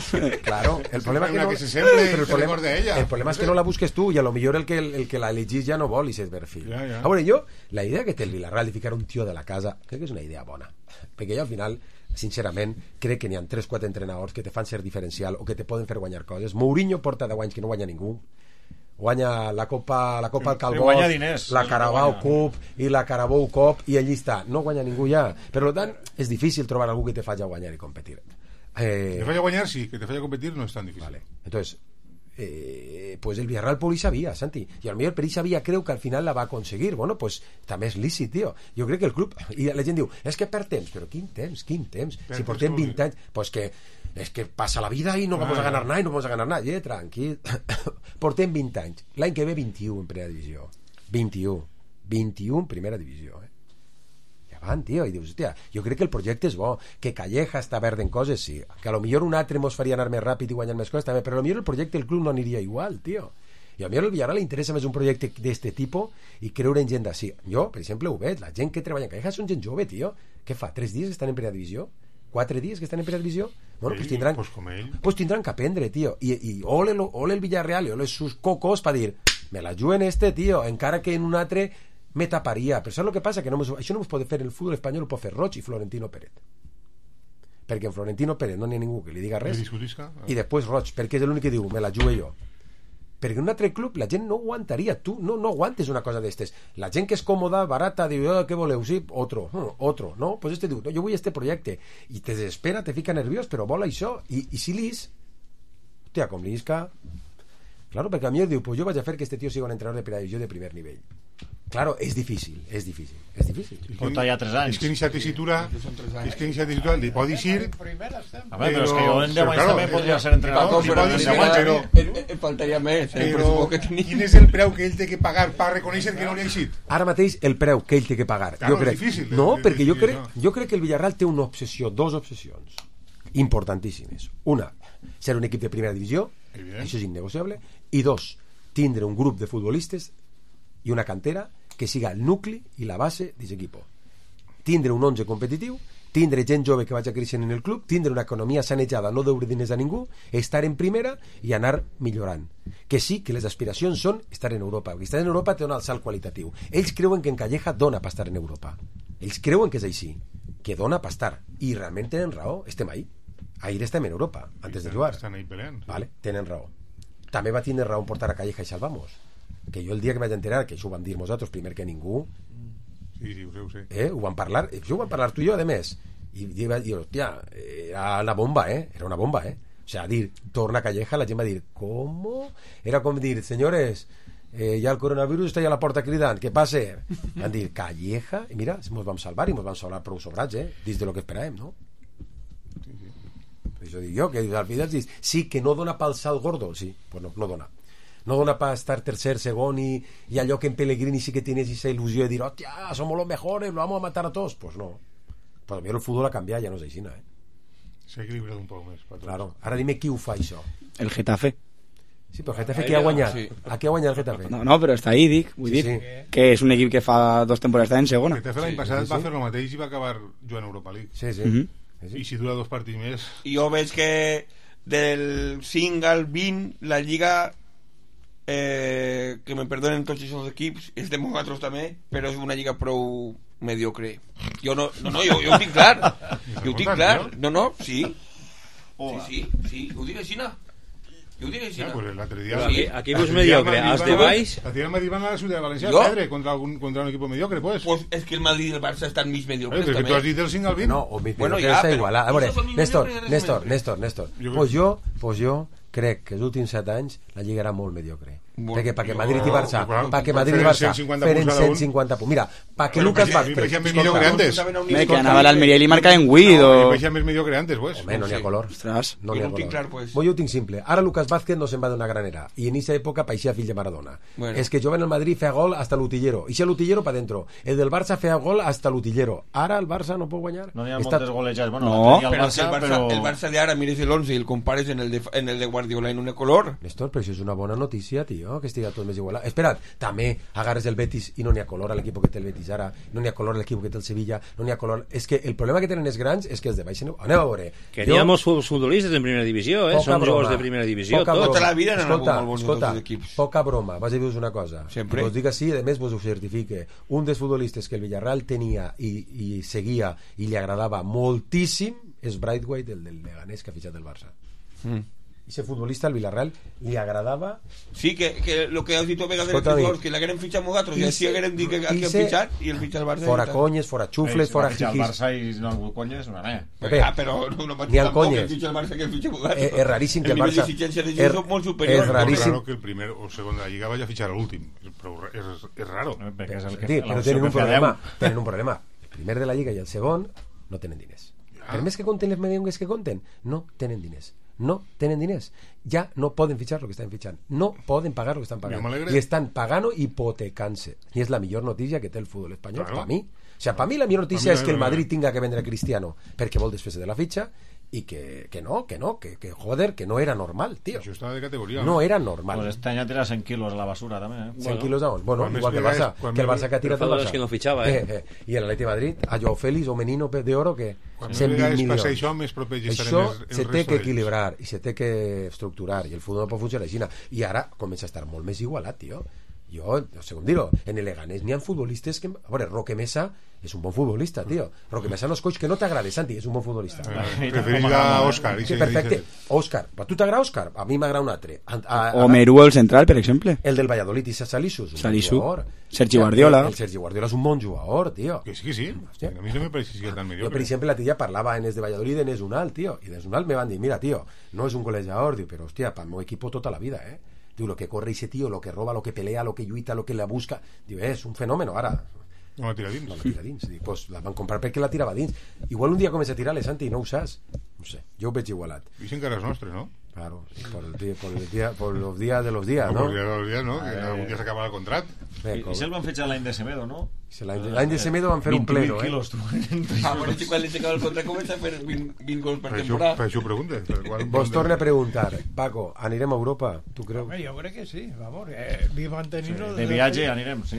Claro, el problema que se semble, que recorde a ella. El problema és que no la busques tu i a lo millor el que la elegís ja no vol i s'és perfil. A veure, jo, la idea que té el Villarreal de ficar un tio de la casa, crec que és una idea bona, perquè jo al final sincerament, crec que n'hi ha 3-4 entrenadors que te fan ser diferencial o que te poden fer guanyar coses. Mourinho porta 10 anys que no guanya ningú. Guanya la Copa al Calbó, la Carabao Cup i la Carabao Cup i allí està. No guanya ningú ja. Per tant, és difícil trobar algú que te faci guanyar i competir. Te faci guanyar, sí. Que te faci competir no és tan difícil. Vale. Entonces, pues el Villarreal por ahí sabía, Santi, y a lo mejor per ahí sabía, creo que al final la va a conseguir. Bueno, pues també és lícit, tio. Jo crec que el club, i la gent diu, és que per temps, però quin temps? Si portem 20 anys, pues que és que passa la vida i no vamos a ganar nada i no vamos a ganar nada. Tranquil. Portem 20 anys. L'any que ve 21 en primera divisió. 21 en primera divisió, endavant, tio, i dius, hòstia, jo crec que el projecte és bo, que Calleja està verd en coses, sí, que a lo millor un altre mos faria anar més ràpid i guanyar més coses també, però a lo millor el projecte del club no aniria igual, tio. I a mi al Villarreal li interessa més un projecte d'este tipus i creure en gent d'ací. Jo, per exemple, ho veig, la gent que treballa en Calleja són gent jove, tio. Què fa, 3 dies que estan en primera divisió? 4 dies que estan en primera divisió? Bueno, pues tindran que aprendre, tio. I ole el Villarreal i ole sus cocos per dir, me la juguen tio, encara que en un altre me taparia. Però saps el que passa? Que això no es pot fer el futbol espanyol, ho pot fer Roig i Florentino Pérez. Perquè en Florentino Pérez no n'hi ha ningú que li diga res. I després Roig, perquè és l'únic que diu, me la jugue jo. Perquè en un altre club la gent no aguantaria. Tu no aguantes una cosa d'estes. La gent que és còmoda, barata, diu, què voleu? Sí, otro, no? Pues diu, no, jo vull projecte. I te desespera, te fica nerviós, però vol això. I si lis, hòstia, com l'Isca... Claro, perquè a mi diu, pues jo vaig a fer que este tio sigui un entrenador de primera divisió de primer nivell. Claro, és difícil. Porta ja 3 anys. És que iniciar tessitura li pot dir... A veure, però és que jo en 10 anys també podria ser entrenador. Però faltaria més. Però quin és el preu que ell té que pagar per reconèixer que no li ha eixit? Ara mateix el preu que ell té que pagar. Claro, és difícil. No, perquè jo crec que el Villarreal té una obsessió, 2 obsessions importantíssimes. Una, ser un equip de primera divisió, això és innegociable, i 2, tindre un grup de futbolistes i una cantera que siga el nucli i la base d'aquest equip. Tindre un 11 competitiu, tindre gent jove que vagi creixent en el club, tindre una economia sanejada, no deure diners a ningú, estar en primera i anar millorant. Que sí, que les aspiracions són estar en Europa, perquè estar en Europa té un alt salt qualitatiu. Ells creuen que en Calleja dona per estar en Europa. Ells creuen que és així, que dona per estar. I realment tenen raó, estem ahí. Ahir estem en Europa, antes de jugar. Estan ahí peleant. Vale, tenen raó. També va tindre raó en portar a Calleja i Salvamos. Que jo el dia que vaig enterar, que això ho vam dir nosaltres primer que ningú, sí, ho sé. Ho vam parlar, això ho vam parlar tu i jo, a més, i vaig dir, hòstia, era una bomba, era una bomba, o sea, dir, torna a Calleja, la gent va dir, ¿cómo? Era com dir, señores, ya el coronavirus està ja a la porta cridant, què passa? Van dir, Calleja, i mira, ens vam salvar i ens vam salvar prou sobrats, dins de lo que esperàvem, no? Això dic jo, que al final dius, sí, que no dona pel salt gordo, sí, pues no dona. No dona para estar tercer, segon i allò que en Pellegrini sí que tienes esa ilusió de dir, hòstia, somos los mejores, lo vamos a matar a todos. Pues no. Pues a mi el futbol ha canviat, ja no és així, S'ha equilibrat un poc més. Claro. Ara dime qui ho fa, això. El Getafe. Sí, però el Getafe qui ha guanyat? Sí. A qui ha guanyat el Getafe? No, però està ahí, dic. Vull dir que és un equip que fa 2 temporades està en segona. El Getafe l'any passat va fer el mateix i va acabar jugant a Europa League. Sí. I si dura 2 partits més... Jo veig que del 5 al 20 la Lliga... que me perdonen tots aquests equips, és de nosaltres també, però és una lliga prou mediocre. Jo jo ho tinc clar. Sí, ho dic així, Aquí pues mediocre, als de baix. A ti el Madrid van a la ciutat de València a perdre contra un equip mediocre, pues és que el Madrid i el Barça estan mig mediocres també. Perquè tu has dit del 5 al 20. No, o mig mediocre està igualat. A veure, Néstor, pues jo crec que els últims 7 anys la Lliga era molt mediocre. Perquè Madrid i Barça feren 150 punts. Mira, perquè Lucas Vázquez que anava a l'Almeria i li marcava en Guido. Més mediocre antes, pues. Home, no n'hi ha color. No n'hi ha color. Jo ho tinc simple. Ara Lucas Vázquez no se'n va d'una granera i en aquesta època paixia fill de Maradona. És que jove en el Madrid feia gol hasta l'utillero. I si l'utillero pa dentro. El del Barça feia gol hasta l'utillero. Ara el Barça no pot guanyar. No n'hi ha moltes golejades. No, però el Barça de ara mires l'11 i el compares en el de Guardiola en un color. Néstor, però això és una bona notícia, tio, que estigui tot més igualat. Espera't, també agarres el Betis i no n'hi ha color a l'equip que té el Betis ara, no n'hi ha color a l'equip que té el Sevilla, no n'hi ha color... És que el problema que tenen els grans és que els de baix... Anem a veure. Que n'hi ha molts futbolistes en primera divisió, Són jugadors de primera divisió. Tota la vida escolta, poca broma, vas a dir-vos una cosa. Vos dic així, a més vos ho certifique. Un dels futbolistes que el Villarreal tenia i seguia i li agradava moltíssim és Braithwaite, el del Leganés, que ha fitxat el Barça. Ese futbolista al Villarreal li agradava. Sí, que lo que has dit tu a vegades que l'hagueren fitxat nosaltres i així hagueren dit que han fitxat i el fitxa el Barça. Fora conyes, fora xufles, fora jiquis. El Barça i no el conyes, no n'hi ha. Però no ni el conyes. Que fitxa el Barça que el fitxa nosaltres. És raríssim que el Barça... És molt superior. És raríssim. que el primer o segon de la Lliga vaya a fitxar l'últim. És raro. Però tenen un problema. El primer de la Lliga i el segon no tenen diners. Per més que compten les merengues que compten, no tenen diners. no tenen diners, ja no poden fitxar el que estan fitxant, no poden pagar el que estan pagant i estan pagant hipotecant-se, i és la millor notícia que té el futbol espanyol, per mi. O sea, per mi la millor notícia és que el Madrid tinga que vendre a Cristiano perquè vol desfer-se de la fitxa y que joder, que no era normal, tío. Això estava de categoria. No era normal. Pues este año tira 100 kilos a la basura també. 100 kilos a on? Bueno, igual que el Barça, que el Barça que ha tirat el Barça. Que no fitxava, I el Atleti de Madrid, a Joao Félix o Menino de Oro, que 120 milions. Això se té que equilibrar i se té que estructurar, i el futbol no pot funcionar així. I ara comença a estar molt més igualat, tio. Jo, según digo, en el Leganés n'hi ha futbolistes que... A veure, Roque Mesa és un bon futbolista, tio. Roque Mesa no és coach que no t'agrada, Santi, és un bon futbolista. Preferís a Òscar. Perfecte. Òscar. A tu t'agrada Òscar? A mi m'agrada un altre. O Merú, el central, per exemple. El del Valladolid, i Salisu. Salisu. Sergi Guardiola. El Sergi Guardiola és un bon jugador, tio. Que sí. A mi no me pareix que tan mediocre. Jo, per exemple, la tia parlava en els de Valladolid en Esunal, tio. I d'Esunal me van dir, mira, tio, no és un golejador, diu, però, hòstia, para el meu equipo tota la vida, Diu, lo que corre ese tío, lo que roba, lo que pelea, lo que lluita, lo que la busca. Diu, és un fenòmeno, ara. No la tira dins. No la tira dins. Dic, pues la van comprar perquè la tirava dins. Igual un dia comença a tirar-le, Santi, no ho saps. No sé, jo ho veig igualat. Dicen que eres nostre, ¿no? Claro, por los días de los días, ¿no? Por los días de los días, ¿no? Que algun dia s'acaba el contrat. I se'l van fitxar l'any de Semedo, no? L'any de Semedo van fer un pleno, quilos, tu. Bueno, si quan li s'acaba el contrat comença a fer 20 gols per temporada. Per això ho preguntes. Vos torna a preguntar, Paco, anirem a Europa, tu creus? Home, jo crec que sí, vamos, mantenir-nos... De viatge anirem, sí.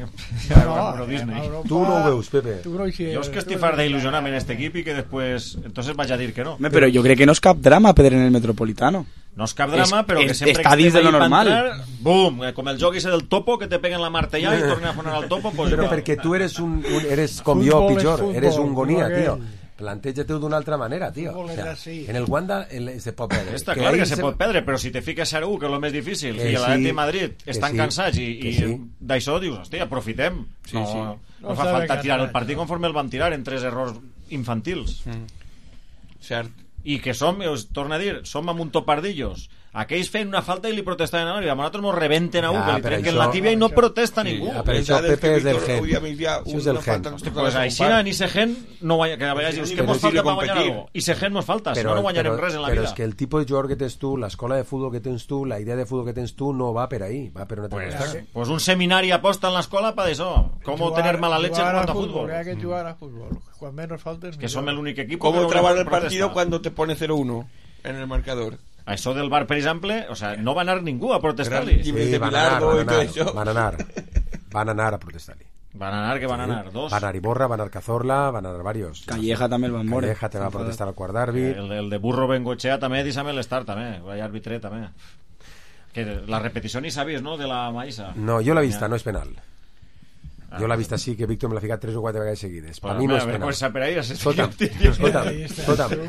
Tu no ho veus, Pepe? Jo és que estic fart d'il·lusionar-me en este equip i que després entonces vaig a dir que no. Però jo crec que no és cap drama Pedro en el Metropolitano. No és cap drama, però que sempre està dins de lo normal. Bum, com el joc ese del topo, que te peguen la martellada i tornen a fonar al topo. Pues però perquè tu eres com jo, pitjor, eres un gonia, tio. Planteja-te-ho d'una altra manera, tio. O sea, en el Wanda se pot perdre. Està clar que se pot perdre, però si te fiques 0-1, que és el més difícil, i l'Atleti de Madrid estan cansats i d'això dius, hòstia, aprofitem. No fa falta tirar el partit conforme el van tirar en 3 errors infantils. Cert. I que som, us torno a dir, som amb un topardillos. Aquells feien una falta i li protestaven a l'àrea. A nosaltres ens rebenten a un, que li trenquen la tíbia i no protesta ningú. Per això Pepe és del gen. Això és del gen. Pues així ni se gen no guanya, que a vegades dius, què mos falta per guanyar algo? I se gen mos falta, si no guanyarem res en la vida. Però és que el tipus de jugador que tens tu, l'escola de futbol que tens tu, la idea de futbol que tens tu no va per ahí, va per una altra cosa. Pues un seminari aposta en l'escola per això. Com tener mala leche en cuanto a fútbol. Hay que jugar a fútbol. Cuando menos faltes. Que som el únic equip. ¿Cómo trabar el partido cuando te pone 0-1 en el marcador? A això del bar, per exemple, o sea, no va anar ningú a protestar-li. Sí, van anar a protestar-li. Van anar, dos. Van anar Iborra, van anar Cazorla, van anar varios. Calleja també el van moure. Calleja te va protestar al quart d'àrbit. El de Burro Bengochea també, deixa'm l'estar també, vai àrbitre també. Que la repetició ni sabies, no?, de la Maïssa. No, jo l'he vista, no és penal. Jo l'he vist així, que Víctor me l'ha ficat 3 o 4 vegades seguides. Per mi no és penal. Escolta'm,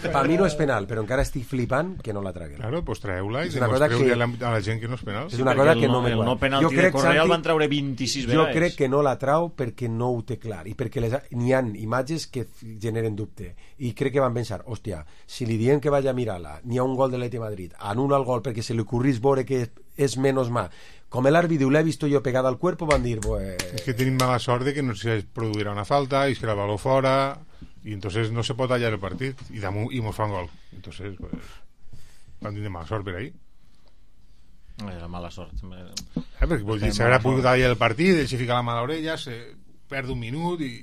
per mi no és penal, però encara estic flipant que no la traguen. Claro, pues traeu-la i demostreu a la gent que no és penal. És una cosa que no me quadra. El no penalti de Correa el van treure 26 vegades. Jo crec que no la trau perquè no ho té clar i perquè n'hi ha imatges que generen dubte i crec que van pensar, hòstia, si li diem que vaya a mirar-la, n'hi ha un gol de l'Atleti de Madrid, anul·la el gol perquè se li ocorrís veure que és menos mà. Com l'àrbit diu, l'he visto yo pegada al cuerpo, van dir... Es que tenim mala sort de que no se produirà una falta i es que la baló fora i entonces no se pot tallar el partit i mos fa un gol. Entonces, pues, van tindre mala sort per ahí. Era mala sort. Perquè vol dir, s'haurà pogut tallar el partit, ell se fica la mà a l'orella, se perd un minut i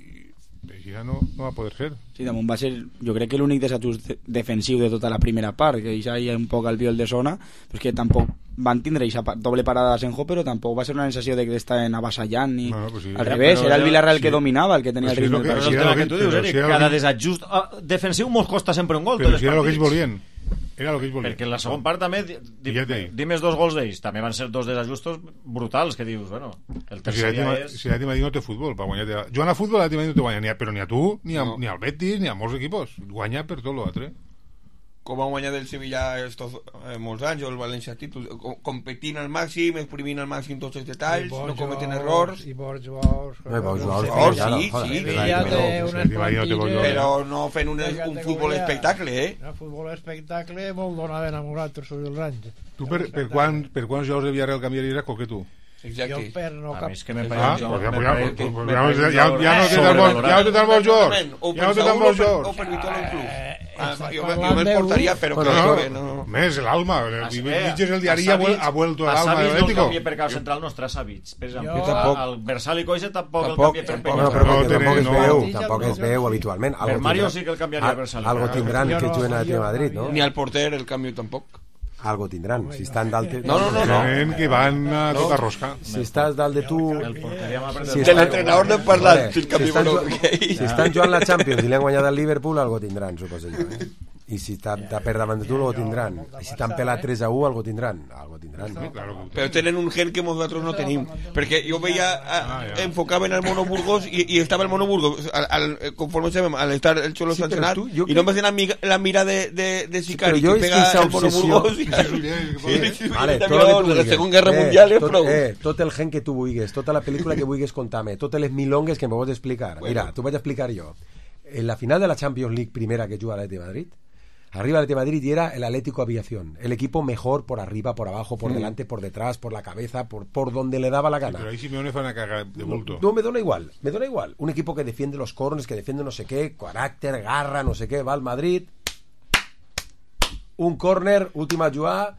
així no va poder ser. Sí, damunt va ser, jo crec que l'únic desajust defensiu de tota la primera part, que ja hi ha un poc al viol de zona, però és que tampoc van tindre aquesta doble parada de Senjo, però tampoc va ser una sensació de que estaven avassallant ni... pues sí. Al revés, era el Villarreal el que dominava, el que tenia el ritme. Però és el tema que tu dius, Eric, cada desajust defensiu mos costa sempre un gol. Però si era el que ells volien. Era el que ells volien. Perquè en la segona part també dimes 2 gols d'ells, també van ser 2 desajustos brutals, que dius, bueno, el tercer dia és... Si l'Atleti de Madrid no té futbol per guanyar... Jugant a futbol l'Atleti de Madrid no té guanya, però ni a tu, ni al Betis, ni a molts equipos. Guanya per tot l'altre. Com va guanyar del Sevilla molts anys, o el València títol, competint al màxim, exprimint al màxim tots els detalls, no cometen errors. I bons jugadors. Sí. Però no fent un futbol espectacle, Un futbol espectacle molt donat enamorat tots els anys. Tu per quants jugadors de Villarreal canviaries que tu? Exacte. Jo per no cap... A mi és que me pareix... Ja no té tan bons jugadors. O per Saúl o per Vitolo el club. Jo me'ls portaria, però creo que no. Més, l'Alma. Mitges el diari ha vuelto el Alma de l'Atlético. No canvia per cap central, no es traça Savits. Per exemple, el Versal i Coixa tampoc el canvia per Peña. Tampoc es veu habitualment. Per Mario sí que el canviaria Versal. Algo tindran que juguen a Madrid, no? Ni al porter el canvio tampoc. Algo tindran, si estan dalt de... No. Que van a tota rosca. Si estàs dalt de tu... De l'entrenador n'hem parlat. Si estan jugant la Champions i l'han guanyat al Liverpool, algo tindran, suposo jo. I si està per davant de tu, algo tindran. I si t'han pelat 3-1, algo tindran. Però tenen un gen que nosaltres no tenim. Perquè jo veia, enfocaven al Mono Burgos i estava el Mono Burgos, conforme sabem, al estar el Xolo sancionat, i no em va ser la mira de Sicari, que pega el Mono Burgos. De la Segona Guerra Mundial és prou. Tot el gen que tu vulguis, tota la pel·lícula que vulguis contar-me, totes les milongues que em pots explicar. Mira, t'ho vaig explicar jo. En la final de la Champions League primera que juga l'Atleti de Madrid, arriba el Atlético de Madrid y era el Atlético Aviación, el equipo mejor por arriba, por abajo, por delante, por detrás, por la cabeza, por donde le daba la gana. Pero ahí Simeone fue una caga de bulto. No, me da igual. Un equipo que defiende los corners, que defiende no sé qué, carácter, garra, no sé qué, va al Madrid, un córner, última jugada,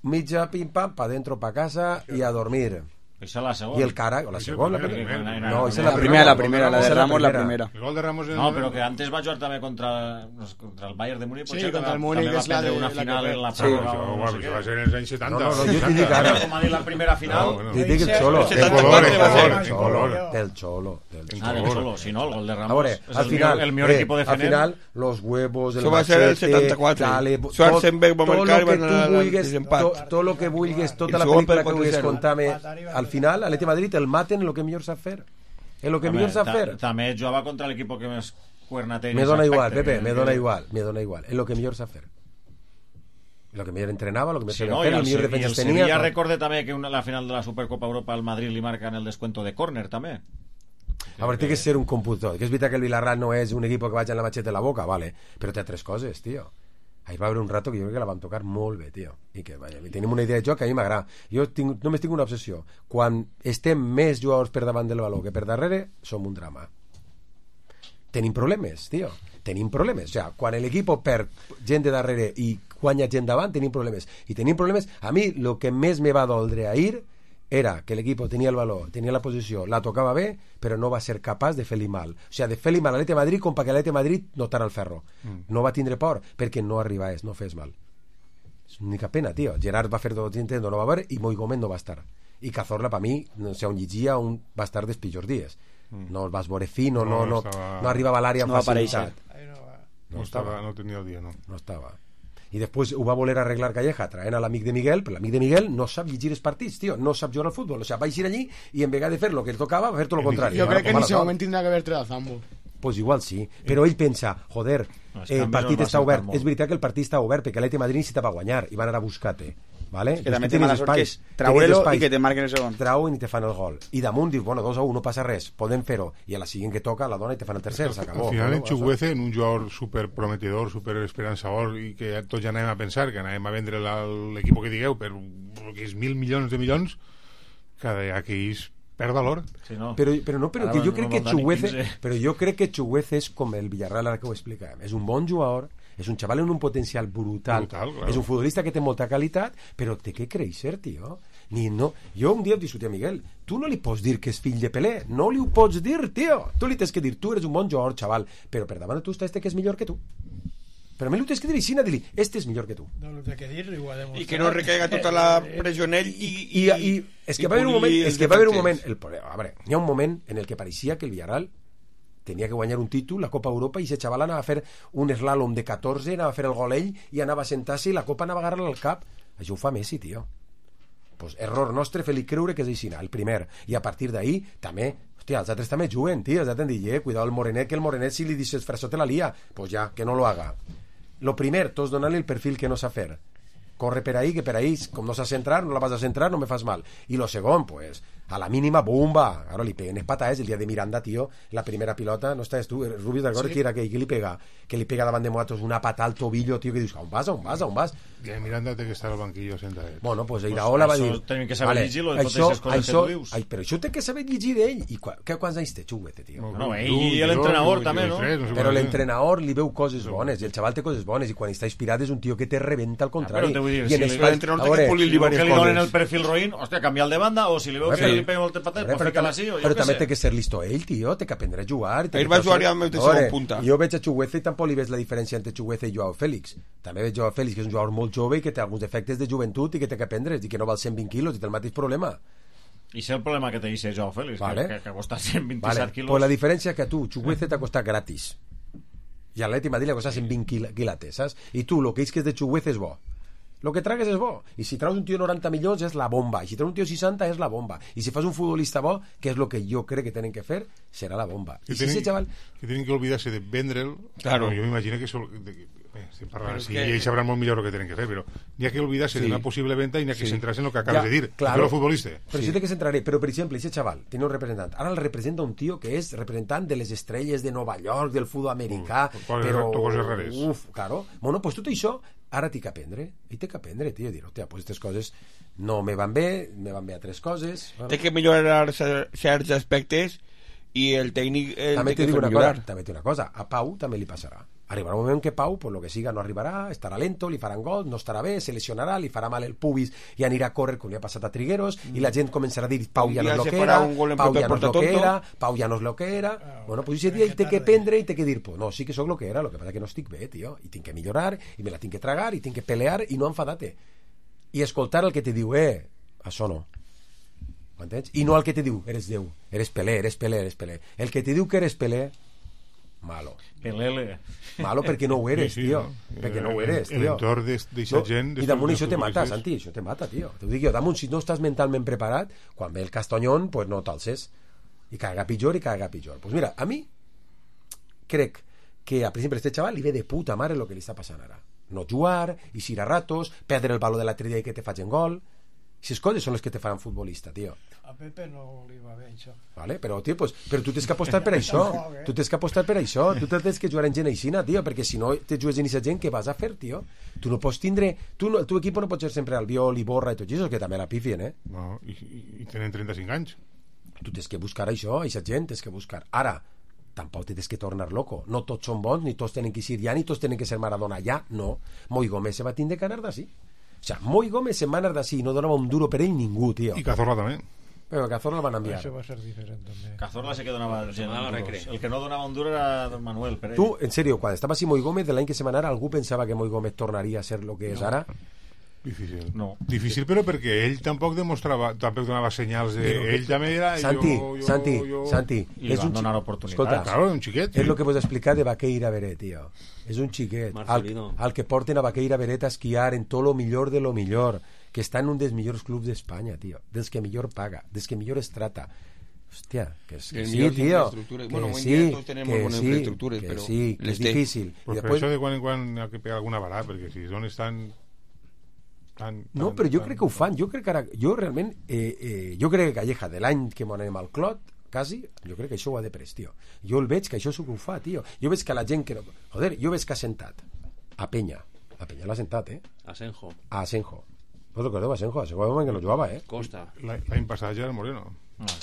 mitja, pim pam, pa dentro, pa casa y a dormir. Esa la segunda. Y el cara, o la segunda. No, esa es la primera, la de Ramos la primera. El gol de Ramos no, però que antes va jugar també contra el Bayern de Múnich. Sí, contra el Múnich, que és la de una final en la pròrroga. Això va ser en els anys 70. No, jo t'hi dic ara. Com ha dit la primera final. T'hi dic el Xolo. Del Xolo. Del Xolo, si no, el gol de Ramos. A veure, al millor equipo de Fener. Al final, los huevos, el machete... Això va ser el 74. Schwarzenberg va marcar i van anar al desempat. Tot lo que vulguis, tota la pel·lícula que vulguis contar-me, al final, l'Atleti de Madrid el maten lo que millor sap fer. És lo que millor sap fer. També jugava contra l'equip que més cuernateri. Me dona igual, Pepe, me dona igual. És lo que millor sap fer. Lo que millor entrenava, lo que millor sabia fer, el millor defensa tenia. I el Sevilla recorde també que la final de la Supercopa Europa al Madrid li marcan el descuento de córner també. A veure, té que ser un computor. Que és veritat que el Villarreal no és un equip que vaig en la macheta a la boca, vale, però té altres coses, tio. Ahir va haver un rato que jo crec que la vam tocar molt bé, tio. I que, vaja, tenim una idea de joc que a mi m'agrada. Jo només tinc una obsessió. Quan estem més jugadors per davant del baló que per darrere, som un drama. Tenim problemes, tio. Tenim problemes. O sigui, quan l'equip perd gent de darrere i guanya gent davant, tenim problemes. I tenim problemes... A mi, el que més me va doldre ahir era que l'equip tenia el valor, tenia la posició, la tocava bé, però no va ser capaç de fer-li mal. O sigui, de fer-li mal a l'Atleti de Madrid com perquè l'Atleti de Madrid notara el ferro. No va tindre por, perquè no arribaves, no fes mal. És una única pena, tio. Gerard va fer 200, no va haver, i Moigomet no va estar. I Cazorla, per mi, no sé on llegia, va estar dels pitjors dies. No el vas veure fino, no arribava a l'àrea amb facilitat. No tenia el dia, no. No estava. I després ho va voler arreglar Calleja traient a l'amic de Miguel, però l'amic de Miguel no sap llegir els partits, tio, no sap jugar al futbol, o sigui, va eixir allí i en vegada de fer el que li tocava va fer tot el contrari. Jo crec que en aquest moment tindrà que haver tret a Zambo. Pues igual sí, però ell pensa, joder, el partit està obert. És veritat que el partit està obert perquè l'Atleti de Madrid necessitava guanyar i van anar a buscar-te, vale? Que també té mala sort que és trau-lo i que te marquen el segon. Trauen i te fan el gol. I damunt dius, bueno, 2-1, no passa res, podem fer-ho. I a la següent que toca la dona i te fan el tercer, s'acabó. Al final en Chukwueze, en un jugador super prometedor, super esperançador, i que tots ja anàvem a pensar que anàvem a vendre l'equip que digueu per que és 1.000 milions de milions, cada dia que ells perd valor. Sí, no. Però que jo crec que Chukwueze, però jo crec que Chukwueze és com el Villarreal, ara que ho explicarem. És un bon jugador, és un xaval amb un potencial brutal, claro. És un futbolista que té molta qualitat, però té que créixer, tio. Jo un dia discutia a Miguel, tu no li pots dir que és fill de Pelé, no li ho pots dir, tio. Tu li tens que dir, tu eres un bon jugador, xaval, però per davant de tu està que és millor que tu. Però a mi li tens que dir així, dir-li, este és millor que tu. No, té que dir-li, ho ha demostrat. I que no recaiga tota la pressió en ell i és que va haver un moment, a veure, hi ha un moment en el que pareixia que el Villarreal tenia que guanyar un títol, la Copa Europa, i ese xaval anava a fer un slalom de 14, anava a fer el gol ell i anava a sentar-se i la Copa anava a agarrar-la al cap. Això ho fa Messi, tio. Pues error nostre fer-li creure que és així, el primer. I a partir d'ahí també, hòstia, els altres també juguen, tio, els altres han dit, cuidado el Morenet, que el Morenet si li dices frasó te la lia, pues ja, que no lo haga. Lo primer, tots donant-li el perfil que no sap fer. Corre per ahí, que per ahí, com no saps centrar, no la vas a centrar, no me fas mal. I lo segon, pues, a la mínima, bomba. Claro, li peguen patadas. El día de Miranda, tío, la primera pilota, no estàs tu, Rubio de Gor, Sí. que era que li pega davant de Moatos una patada al tobillo, tío, que dius, on vas? I Miranda té que estar al banquillo sentadet. Bueno, pues Iraola va dir... Això tenim que saber llegir-lo de totes aquestes coses que tu dius. Però això té que saber llegir d'ell. I quants anys té Chuguete, tio? No, ell i l'entrenador també, no? Però l'entrenador li veu coses bones, i el xaval té coses bones, i quan està inspirat és un tio que te rebenta al contrari. Però te vull dir, I si en li l'entrenador que li donen el perfil roïn, hòstia, canviar de banda, o si li veu que li pega moltes patates, pues fica-la així, o jo però què també sé. té que ser listo ell, tio, té que aprendre a jugar. Ell va jugar ja amb el de segon punta. Jo veig a Chuguete i tampoc li veig la diferència entre Chuguete i Joao Félix. També veig Joao Félix, que és un jugador molt jove i que té alguns defectes de joventut i que té que aprendre, i que no val 120 quilos, i té el mateix problema. I sé el problema que té ese Joao Félix, Vale. que costa 127 Vale. quilos. Pues la diferència que a tu, Chuguete t'ha costat gratis. I a l'Atleti Madrid li ha costat 120 quilates, saps? I tu, el que és de Chuguete és bo. Lo que tragues és bo. I si traus un tio 90 milions és la bomba. I si traus un tio 60 és la bomba. I si fas un futbolista bo, que és lo que jo crec que tenen que fer, serà la bomba. Que I si ese chaval... que tienen que olvidarse de vendre'l. Claro. Yo me imagino que eso... estem parlant Pero així, es que- y ells sabrán molt millor lo que tienen que hacer, pero ni hay que olvidarse de Sí. una posible venta y ni hay que Sí. centrarse en lo que acabas Ja, de dir. claro. Pero futbolista. Però sí té que centraré. Però, per exemple, aquest xaval tiene un representant. Ara el representa un tio que és representant de les estrelles de Nova York, del futbol americà, però... coses rares. Uf, claro. Bueno, pues tot això ara té que aprendre. Ell té que aprendre, tio. Dir, hòstia, pues aquestes coses no me van bé altres coses. Bueno. Té que millorar certs aspectes i el tècnic També té que te dic fer una millorar. cosa, també té una cosa, a Pau també li passarà. Arribarà un moment que Pau, por lo que siga, no arribarà, estarà lento, li faran gol, no estarà bé, se lesionarà, li farà mal el pubis i anirà a córrer com li ha passat a Trigueros, i la gent començarà a dir Pau ja no és lo que era, Pau ja no és lo que era, Pau ja no és lo que era. Bueno, pues ese dia ell té que prendre i té que dir, pues no, sí que sóc lo que era, lo que passa que no estic bé, tio, i tinc que millorar, i me la tinc que tragar, i tinc que pelear, i no enfadar-te. I escoltar el que te diu, això no. M'entens? I no el que te diu, eres Déu, eres Pelé, eres Pelé, eres Pelé. El que te diu que eres Pelé, malo. Pelele. Malo perquè no ho eres, Sí, sí, tio. no? Perquè no ho eres, El tio. entorn d'eixa gent, I damunt això te mata, futbolistes. Santi, això te mata, tio. T'ho dic jo, damunt, si no estàs mentalment preparat, quan ve el Castañón, pues no t'alces. I caga pitjor, Pues mira, a mi crec que, per exemple, a este xaval li ve de puta mare el que li està passant ara. No jugar, i ir a ratos, perdre el valor de l'altre dia i que te facin gol. Aquestes coses són les que te faran futbolista, tio. A Pepe no li va bé això. Vale? Però, tio, pues, però tu tens que apostar per això. Tu tens que apostar per això. Tu tens que jugar en gent aixina, tio, perquè si no te jugues en aquesta gent, què vas a fer, tio? Tu no pots tindre... El teu equip no pot ser sempre Albiol, Iborra i tot això, que també la pifien, No, i tenen 35 anys. Tu tens que buscar això, aquesta gent, tens que buscar. Ara, tampoc tens que tornar loco. No tots són bons, ni tots tenen que ser ja, ni tots tenen que ser Maradona ja, no. Moi Gómez se va tindre que anar d'ací. O sea, Moi Gómez se'n va anar d'ací i no donava un duro per ell ningú, tio. I Cazorla també. Però Cazorla el van enviar. Això va ser diferent també. Cazorla sí que donava gent Ah, duros. recre. El que no donava un duro era Don Manuel Pérez. Tu, en serio, quan estava així Moi Gómez, de l'any que se va anar, algú pensava que Moi Gómez tornaria a ser lo que és ara? Difícil. No. Difícil, però perquè ell tampoc donava senyals de... Ell també era... Santi, jo... Santi, I li és van un donar oportunitats. Escolta, Claro, un xiquet. és el que vos explicar de Vaqueira Beret, tio. És un xiquet. Marcelino. Al que porten a Vaqueira Beret a esquiar en tot lo millor de lo millor, que està en un dels millors clubs d'Espanya, tio. Dels que millor paga, dels que millor es trata. Hòstia, que sí, millors tio. infraestructures. Que Bueno, hoy en sí, día todos tenemos que buenas sí, infraestructures, que pero sí, que les és té. difícil. Pues I per després... això de quan en quan ha que pegar alguna bala, perquè si zones tan... No, però jo crec que ho fan. Jo crec que ara... Jo realment... jo crec que Calleja, de l'any que m'ho anem al Clot, quasi, jo crec que això ho ha de pres, tio. Jo el veig que això és el que ho fa, tio. Jo veig que la gent que... Joder, jo veig que ha sentat a Peña. A Peña l'ha sentat, Asenjo. A Asenjo. ¿Vos recordeu Asenjo? Asenjo era un moment que no jugava, Costa. L'any passat ja era Moreno.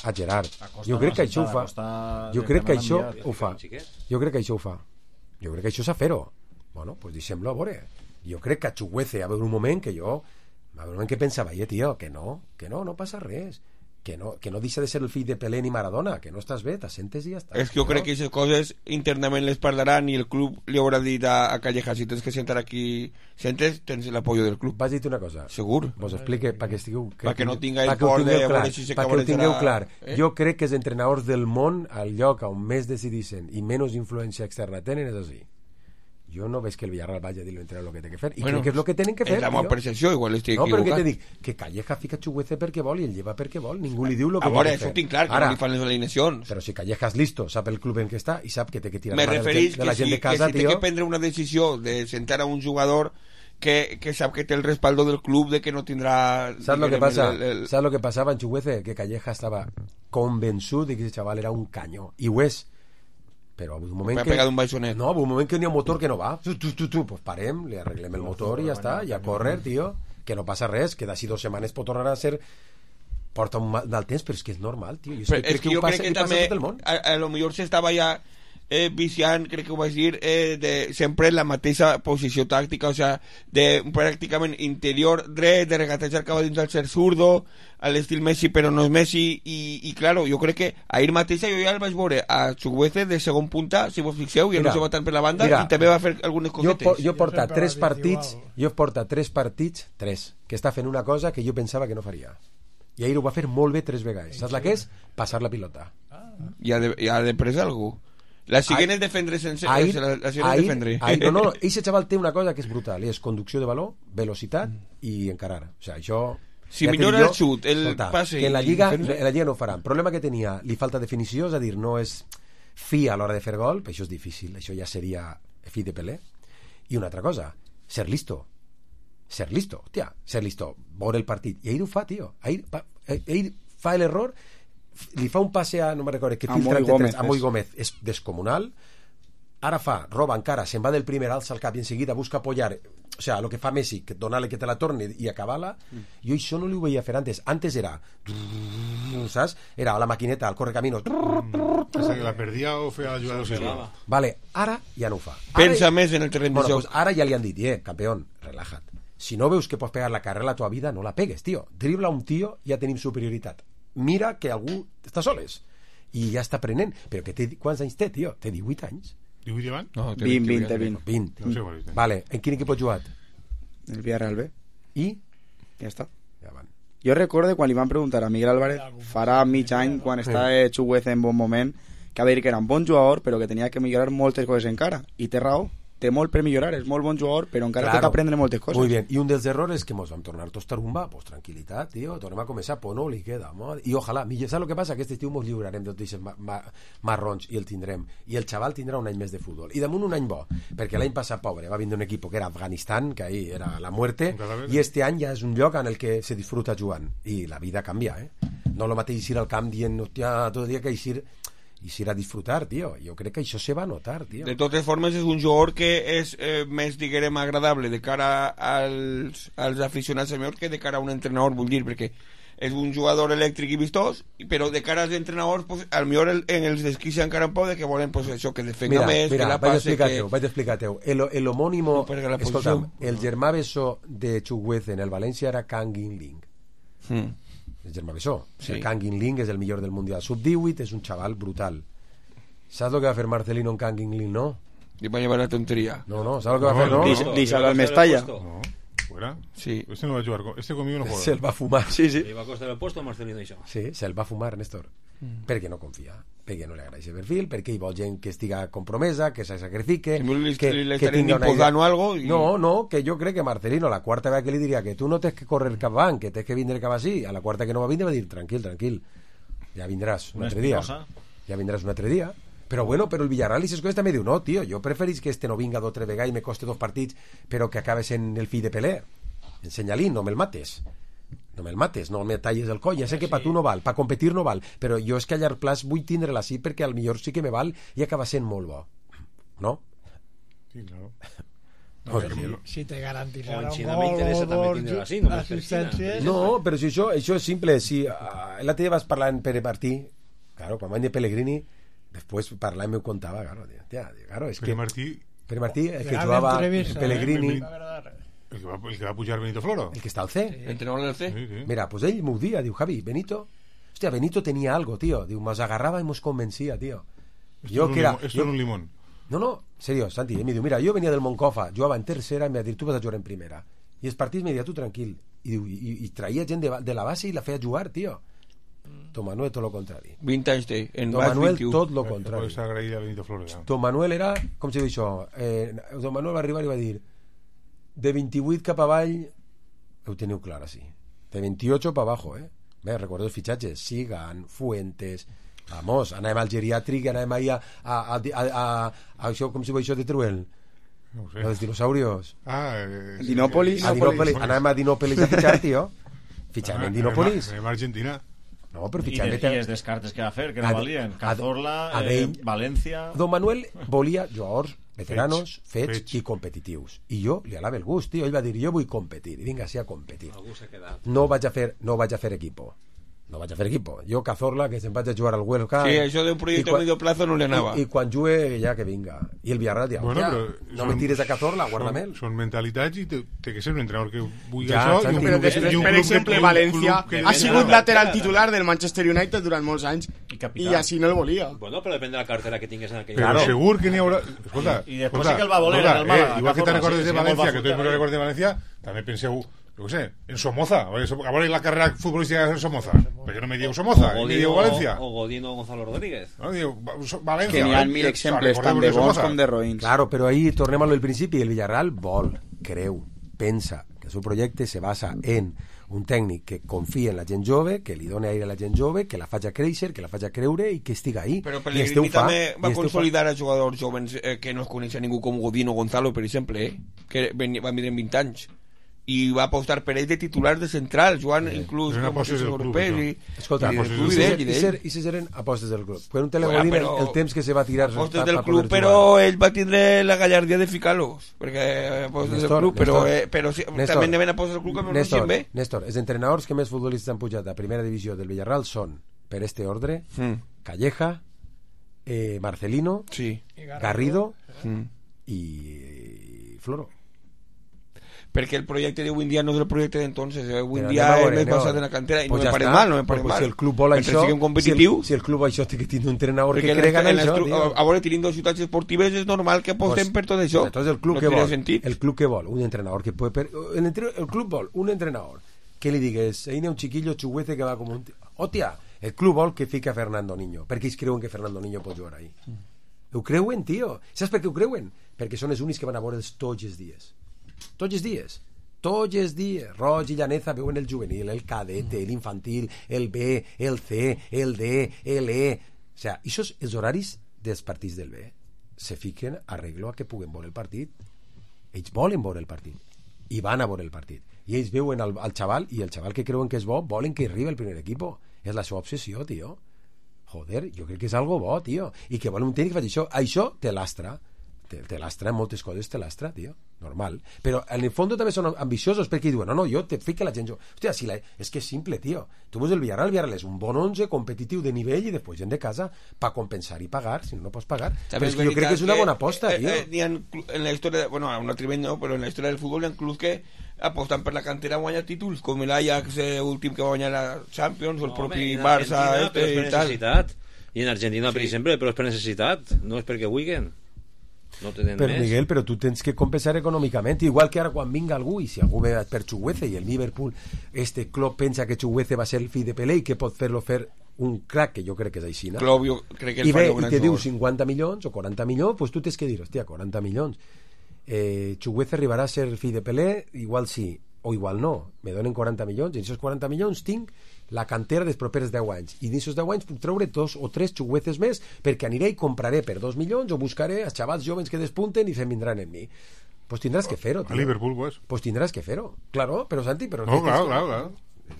A Gerard. Costa Jo crec que això ho fa. Costa Jo crec que això enviat. ho fa. Jo crec que això ho fa. Jo crec que això és a fer-ho. Bueno, pues deixem-lo a veure. Jo crec que a Chuguece va haver un moment que jo... Va haver un moment que pensava, tio, que no passa res. Que no deixa de ser el fill de Pelé ni Maradona, que no estàs bé, t'assentes i ja està. És que jo crec que aquestes coses internament les parlaran i el club li haurà dit a Calleja, si tens que sentar aquí, sentes, tens l'apoyo del club. Vas dir una cosa. Segur. Vos explique perquè estigueu... Perquè no tinga el por de veure si se perquè ho tingueu clar. Eh? Jo crec que els entrenadors del món, al lloc on més decidissin i menys influència externa tenen, és així. Jo no veig que el Villarreal vagi a dir l'entrenador el que té que fer. I crec que és el que tenen que fer. És la meva percepció, igual estic equivocat. No, però què te dic? Que Calleja fica Chuguece perquè vol i el lleva perquè vol. Ningú li diu el que a veure, té que fer. això tinc clar, que Ara, no li fan les alineacions. Però si Calleja és listo, sap el club en què està i sap que té que tirar Me referís de la gent de casa, que si té tio. que prendre una decisió de sentar a un jugador que sap que té el respaldo del club de que no tindrà... ¿Sabes lo que pasa? ¿Sabes lo que pasaba en Chuguece? Que Calleja estaba convençut de que ese chaval era un caño. I ho és. Però un moment que... pegat un baixonet. No, un moment que n'hi ha un motor que no va. Pues parem, li arreglem el motor i ja està. I a córrer, tio. Que no passa res, que d'ací 2 setmanes pot tornar a ser... Porta un mal temps, però és que és normal, tio. Jo crec que també a lo millor s'estava ja viciant, crec que ho vaig dir, de sempre en la mateixa posició tàctica, o sea, de pràcticament interior dret, de regatejar cap a dins al ser zurdo, a l'estil Messi però no és Messi, i claro, jo crec que ahir mateixa jo ja el vaig veure a Chuguece de segon punta, si vos fixeu, ja no se va tant per la banda, i també va fer algunes cosetes. Jo porta 3 partits, 3, que està fent una cosa que jo pensava que no faria. I ahir ho va fer molt bé 3 vegades. Saps la que és? Passar la pilota. I ha de presa algú. La siguent és defendre sense... No, eixe xaval té una cosa que és brutal, és conducció de valor, velocitat i encarar. O sigui, això... Si millora el xut, el passe... Que en la Lliga no ho faran. El problema que tenia, li falta definició, és a dir, no és fi a l'hora de fer gol, però això és difícil, això ja seria fi de Pelé. I una altra cosa, ser listo, hòstia, ser listo, veure el partit. I ahir ho fa, tio. Ahir fa l'error, li fa un passe a, no me'n recordo, que filtra a Moi Gómez, és descomunal. Ara roba encara, se'n va del primer, alça el cap i enseguida busca apoyar, o sea, lo que fa Messi, que donar-li que te la torni i acabar-la. Jo això no li ho veia fer antes era, saps? Era a la maquineta, al correcaminos, hasta que la perdia o feia la jugada de vale, ara ja no ho fa. Pensa més en el terreny de joc. Pues ara ja li han dit, campeón, relájate. Si no veus que pots pegar la carrera a la tua vida, no la pegues, tio. Dribla un tio i ja tenim superioritat. Mira que algú està soles i ja està aprenent, però que quants anys té, tio? Té 18 anys. 18 llevan? No, 20. No sé, vale, en quin equip ha jugat? El Villarreal B. I? Ja està. Ja van. Jo recordo quan li van preguntar a Miguel Álvarez farà mig any, quan estava Chuguece en bon moment, que va dir que era un bon jugador però que tenia que millorar moltes coses encara, i té raó, té molt per millorar, és molt bon jugador però encara té que aprendre moltes coses. Muy bien, i un dels errors és que mos vam tornar tots tarumba, pues tranquil·litat, tio, tornem a començar, pues no li queda, i ojalà, saps el que passa? Aquest estiu mos lliurarem de tots marrons i el tindrem, i el xaval tindrà un any més de futbol, i damunt un any bo, perquè l'any passat, pobre, va vindre un equip que era Afganistan, que ahí era la muerte, i este any ja és un lloc en el que se disfruta jugant, i la vida canvia, no lo mateix ir al camp dient, hòstia, tot el dia que ir a disfrutar, tio. Jo crec que això se va notar, tio. De totes formes, és un jugador que és més, diguem, agradable de cara als aficionats senyors que de cara a un entrenador, vull dir, perquè és un jugador elèctric i vistós, però de cara als entrenadors, pues, al millor en els desquissa encara un poc de que volen, pues, això, que defenga més, que la passe... Vaig explicar-te-ho. El homònimo... Escolta'm, el germà bessó de Chuguece en el València era Kang In-ling. El germà bessó. Sí. El Kang In-ling és el millor del Mundial Sub-18, és un xaval brutal. Saps el que va fer Marcelino en Kang In-ling, no? Li va llevar la tonteria. No, saps el que va fer, no? Deixar al Mestalla. No, fuera. Sí. Este no va a jugar, este conmigo no juega. Se'l va fumar. Sí. Li va costar el puesto a Marcelino, això. Sí, se'l va fumar, Néstor. Perquè no confia, perquè no li agrada aquest perfil, perquè hi vol gent que estiga compromesa, que se sacrifique, que tingui una idea. Algo y... No, que jo crec que Marcelino la quarta vegada que li diria que tu no tens que correr cap avant, que tens que vindre cap així, a la quarta que no va vindre va dir tranquil, ja vindràs un altre dia, però bueno, però el Villarreal i ses coses també diu, no, tio, jo preferís que este no vinga 2 o 3 vegades i me coste 2 partits però que acabes en el fill de Pelé, ensenya-li, no me'l mates, no me talles el coll, ja sé que per tu no val, per competir no val, però jo és que a llarg plaç vull tindre-la així perquè al millor sí que me val i acaba sent molt bo, no? Sí, claro. Si te un garantizarà gol o assistències... No, però si això és simple, si l'altre dia vas parlar en Pere Martí, claro, quan van de Pellegrini, després parlar i m'ho contava, claro, és que Pere Martí, el que jugava Pellegrini... El que va pujar Benito Floro. El que está al C. Entrenador del C. Sí. Mira, pues ell m'ho dia, diu, Javi, Benito tenía algo, tío. Diu, nos agarraba y nos convencía, tío. Esto es un limón. No, serio, Santi, me diu, mira, yo venía del Moncofa, jugava en tercera, me va dir, tu vas a jugar en primera. I els partits me dia, tu tranquil. I traia gent de la base i la feia jugar, tío. Tom Manuel, tot lo contrari. 20 anys té. Tom Manuel, tot lo contrari. Tom Manuel era, com se diu això? Tom Manuel va arribar i va dir, de 28 cap avall ho teniu clar així, de 28 per abajo, bé, recordo els fitxatges Sigan, Fuentes, vamos, anàvem al geriàtric, anàvem ahí a això, com si diu això de Teruel, No ho sé. Los dinosaurios. Dinópolis. Anàvem a Dinópolis a fitxar, tio. Fitxem en Dinópolis. Anem a Argentina. No, però I fitxem... els descartes que va fer, que no valien. Cazorla, València... Don Manuel volia jugadors veteranos, fets i competitius. I jo li alava el gust, tio. Ell va dir, jo vull competir. I vinga, sí, a competir. No vaig a fer equipo. Jo, Cazorla, que se'n vaig a jugar al Huelva... Sí, això d'un projecte a medio plazo no li anava. I quan jugue, ja que vinga. I el Villarreal dirà, no me tires a Cazorla, guarda'm-el. Són mentalitats i té que ser un entrenador que vulgui això. Però després, per exemple, València ha sigut lateral titular del Manchester United durant molts anys i així no el volia. Bueno, però depèn de la cartera que tingues en aquell moment. Però segur que n'hi haurà... Escolta, i després sí que el va voler en el Málaga. Igual que te'n recordes de València, que tots me'n recordes de València, també penseu... Yo qué sé, en Somoza. Ahora la carrera futbolística en Somoza. ¿Por qué no me digo Somoza? ¿Me digo Valencia? O Godino Gonzalo Rodríguez. No, digo Valencia. Que n'hi ha 1000 exemples, tant de bons com de roïns. Claro, però ahí tornem a lo del principi. El Villarreal vol, creu, pensa que el seu projecte se basa en un tècnic que confia en la gent jove, que li doni aire a la gent jove, que la faci créixer, que la faci creure i que estiga ahí. Però Pellegrini també va consolidar a jugadors joves que no es coneix ningú com Godino Gonzalo, per exemple, que van vindre en 20 anys. I va apostar per ell de titular de central, jugant inclús com els europeus. Escolta, i se eren apostes del club. Quan un telegodín el temps que se va tirar... Apostes del club, però ell va tindre la gallardia de ficar-los, perquè apostes del club, però també n'hi havia apostes del club que no coneixien bé. Néstor, els entrenadors que més futbolistes han pujat a primera divisió del Villarreal són, per este ordre, Calleja, Marcelino, Garrido i Floro. Perquè el projecte d'avui en dia no és el projecte d'entonces, avui en dia és més basat en la cantera i no me pareix mal, no me pareix mal. Si el club vol això, si el club això té que tindre un entrenador que crega en això, a veure, tenint dos ciutats esportives és normal que apostem per tot això. Entonces el club que vol un entrenador que puede... El club vol un entrenador que li digues, ahí n'hi ha un chiquillo xuguete que va com un... Hòstia, el club vol que fica Fernando Niño, perquè ells creuen que Fernando Niño pot jugar ahí. Ho creuen, tio. Saps per què ho creuen? Perquè són els únics que van a veure'ls tots els dies. Tots els dies Roig i Llaneza veuen el juvenil, el cadete, l'infantil, el B, el C, el D, el E. O sigui, els horaris dels partits del B se fiquen arreglo a que puguen veure el partit. Ells volen veure el partit i van a veure el partit i ells veuen al xaval i el xaval que creuen que és bo volen que arribi el primer equip. És la seva obsessió, tio. Joder, jo crec que és algo bo, tio, i que volen un tècnic que faci això te lastra en moltes coses, te lastra, tio, normal, però en el fons també són ambiciosos perquè diuen, no, jo te fico la gent hòstia, és que és simple, tio, tu veus el Villarreal és un bon 11 competitiu de nivell i després gent de casa per compensar i pagar, si no pots pagar, però és que jo crec que és una bona aposta, tio. En la història, bueno, a un altre nivell no, però en la història del futbol hi ha clubs que aposten per la cantera a guanyar títols, com l'Ajax últim que va guanyar la Champions o el propi Barça i tal. I en Argentina, per exemple, però és per necessitat, no és perquè vulguin. No però Miguel, però tu tens que compensar econòmicament, igual que ara quan vinga algú i si algú ve per Chuguece i el Liverpool este club pensa que Chuguece va ser el fill de Pelé i que pot fer-lo fer un crack, que jo crec que és així, no? I ve i te diu 50 milions o 40 milions, pues tu tens que dir, hòstia, 40 milions Chuguece arribarà a ser el fill de Pelé, igual sí o igual no, me donen 40 milions i en aquests 40 milions tinc la cantera dels propers 10 anys i d'aquests 10 anys puc treure 2 o 3 xugueces més perquè aniré i compraré per 2 milions o buscaré a xavals joves que despunten i se'n vindran en mi. Pues tindràs que fer-ho, tio. A Liverpool, pues. Pues tindràs que fer-ho. Claro, però Santi, però... No, claro.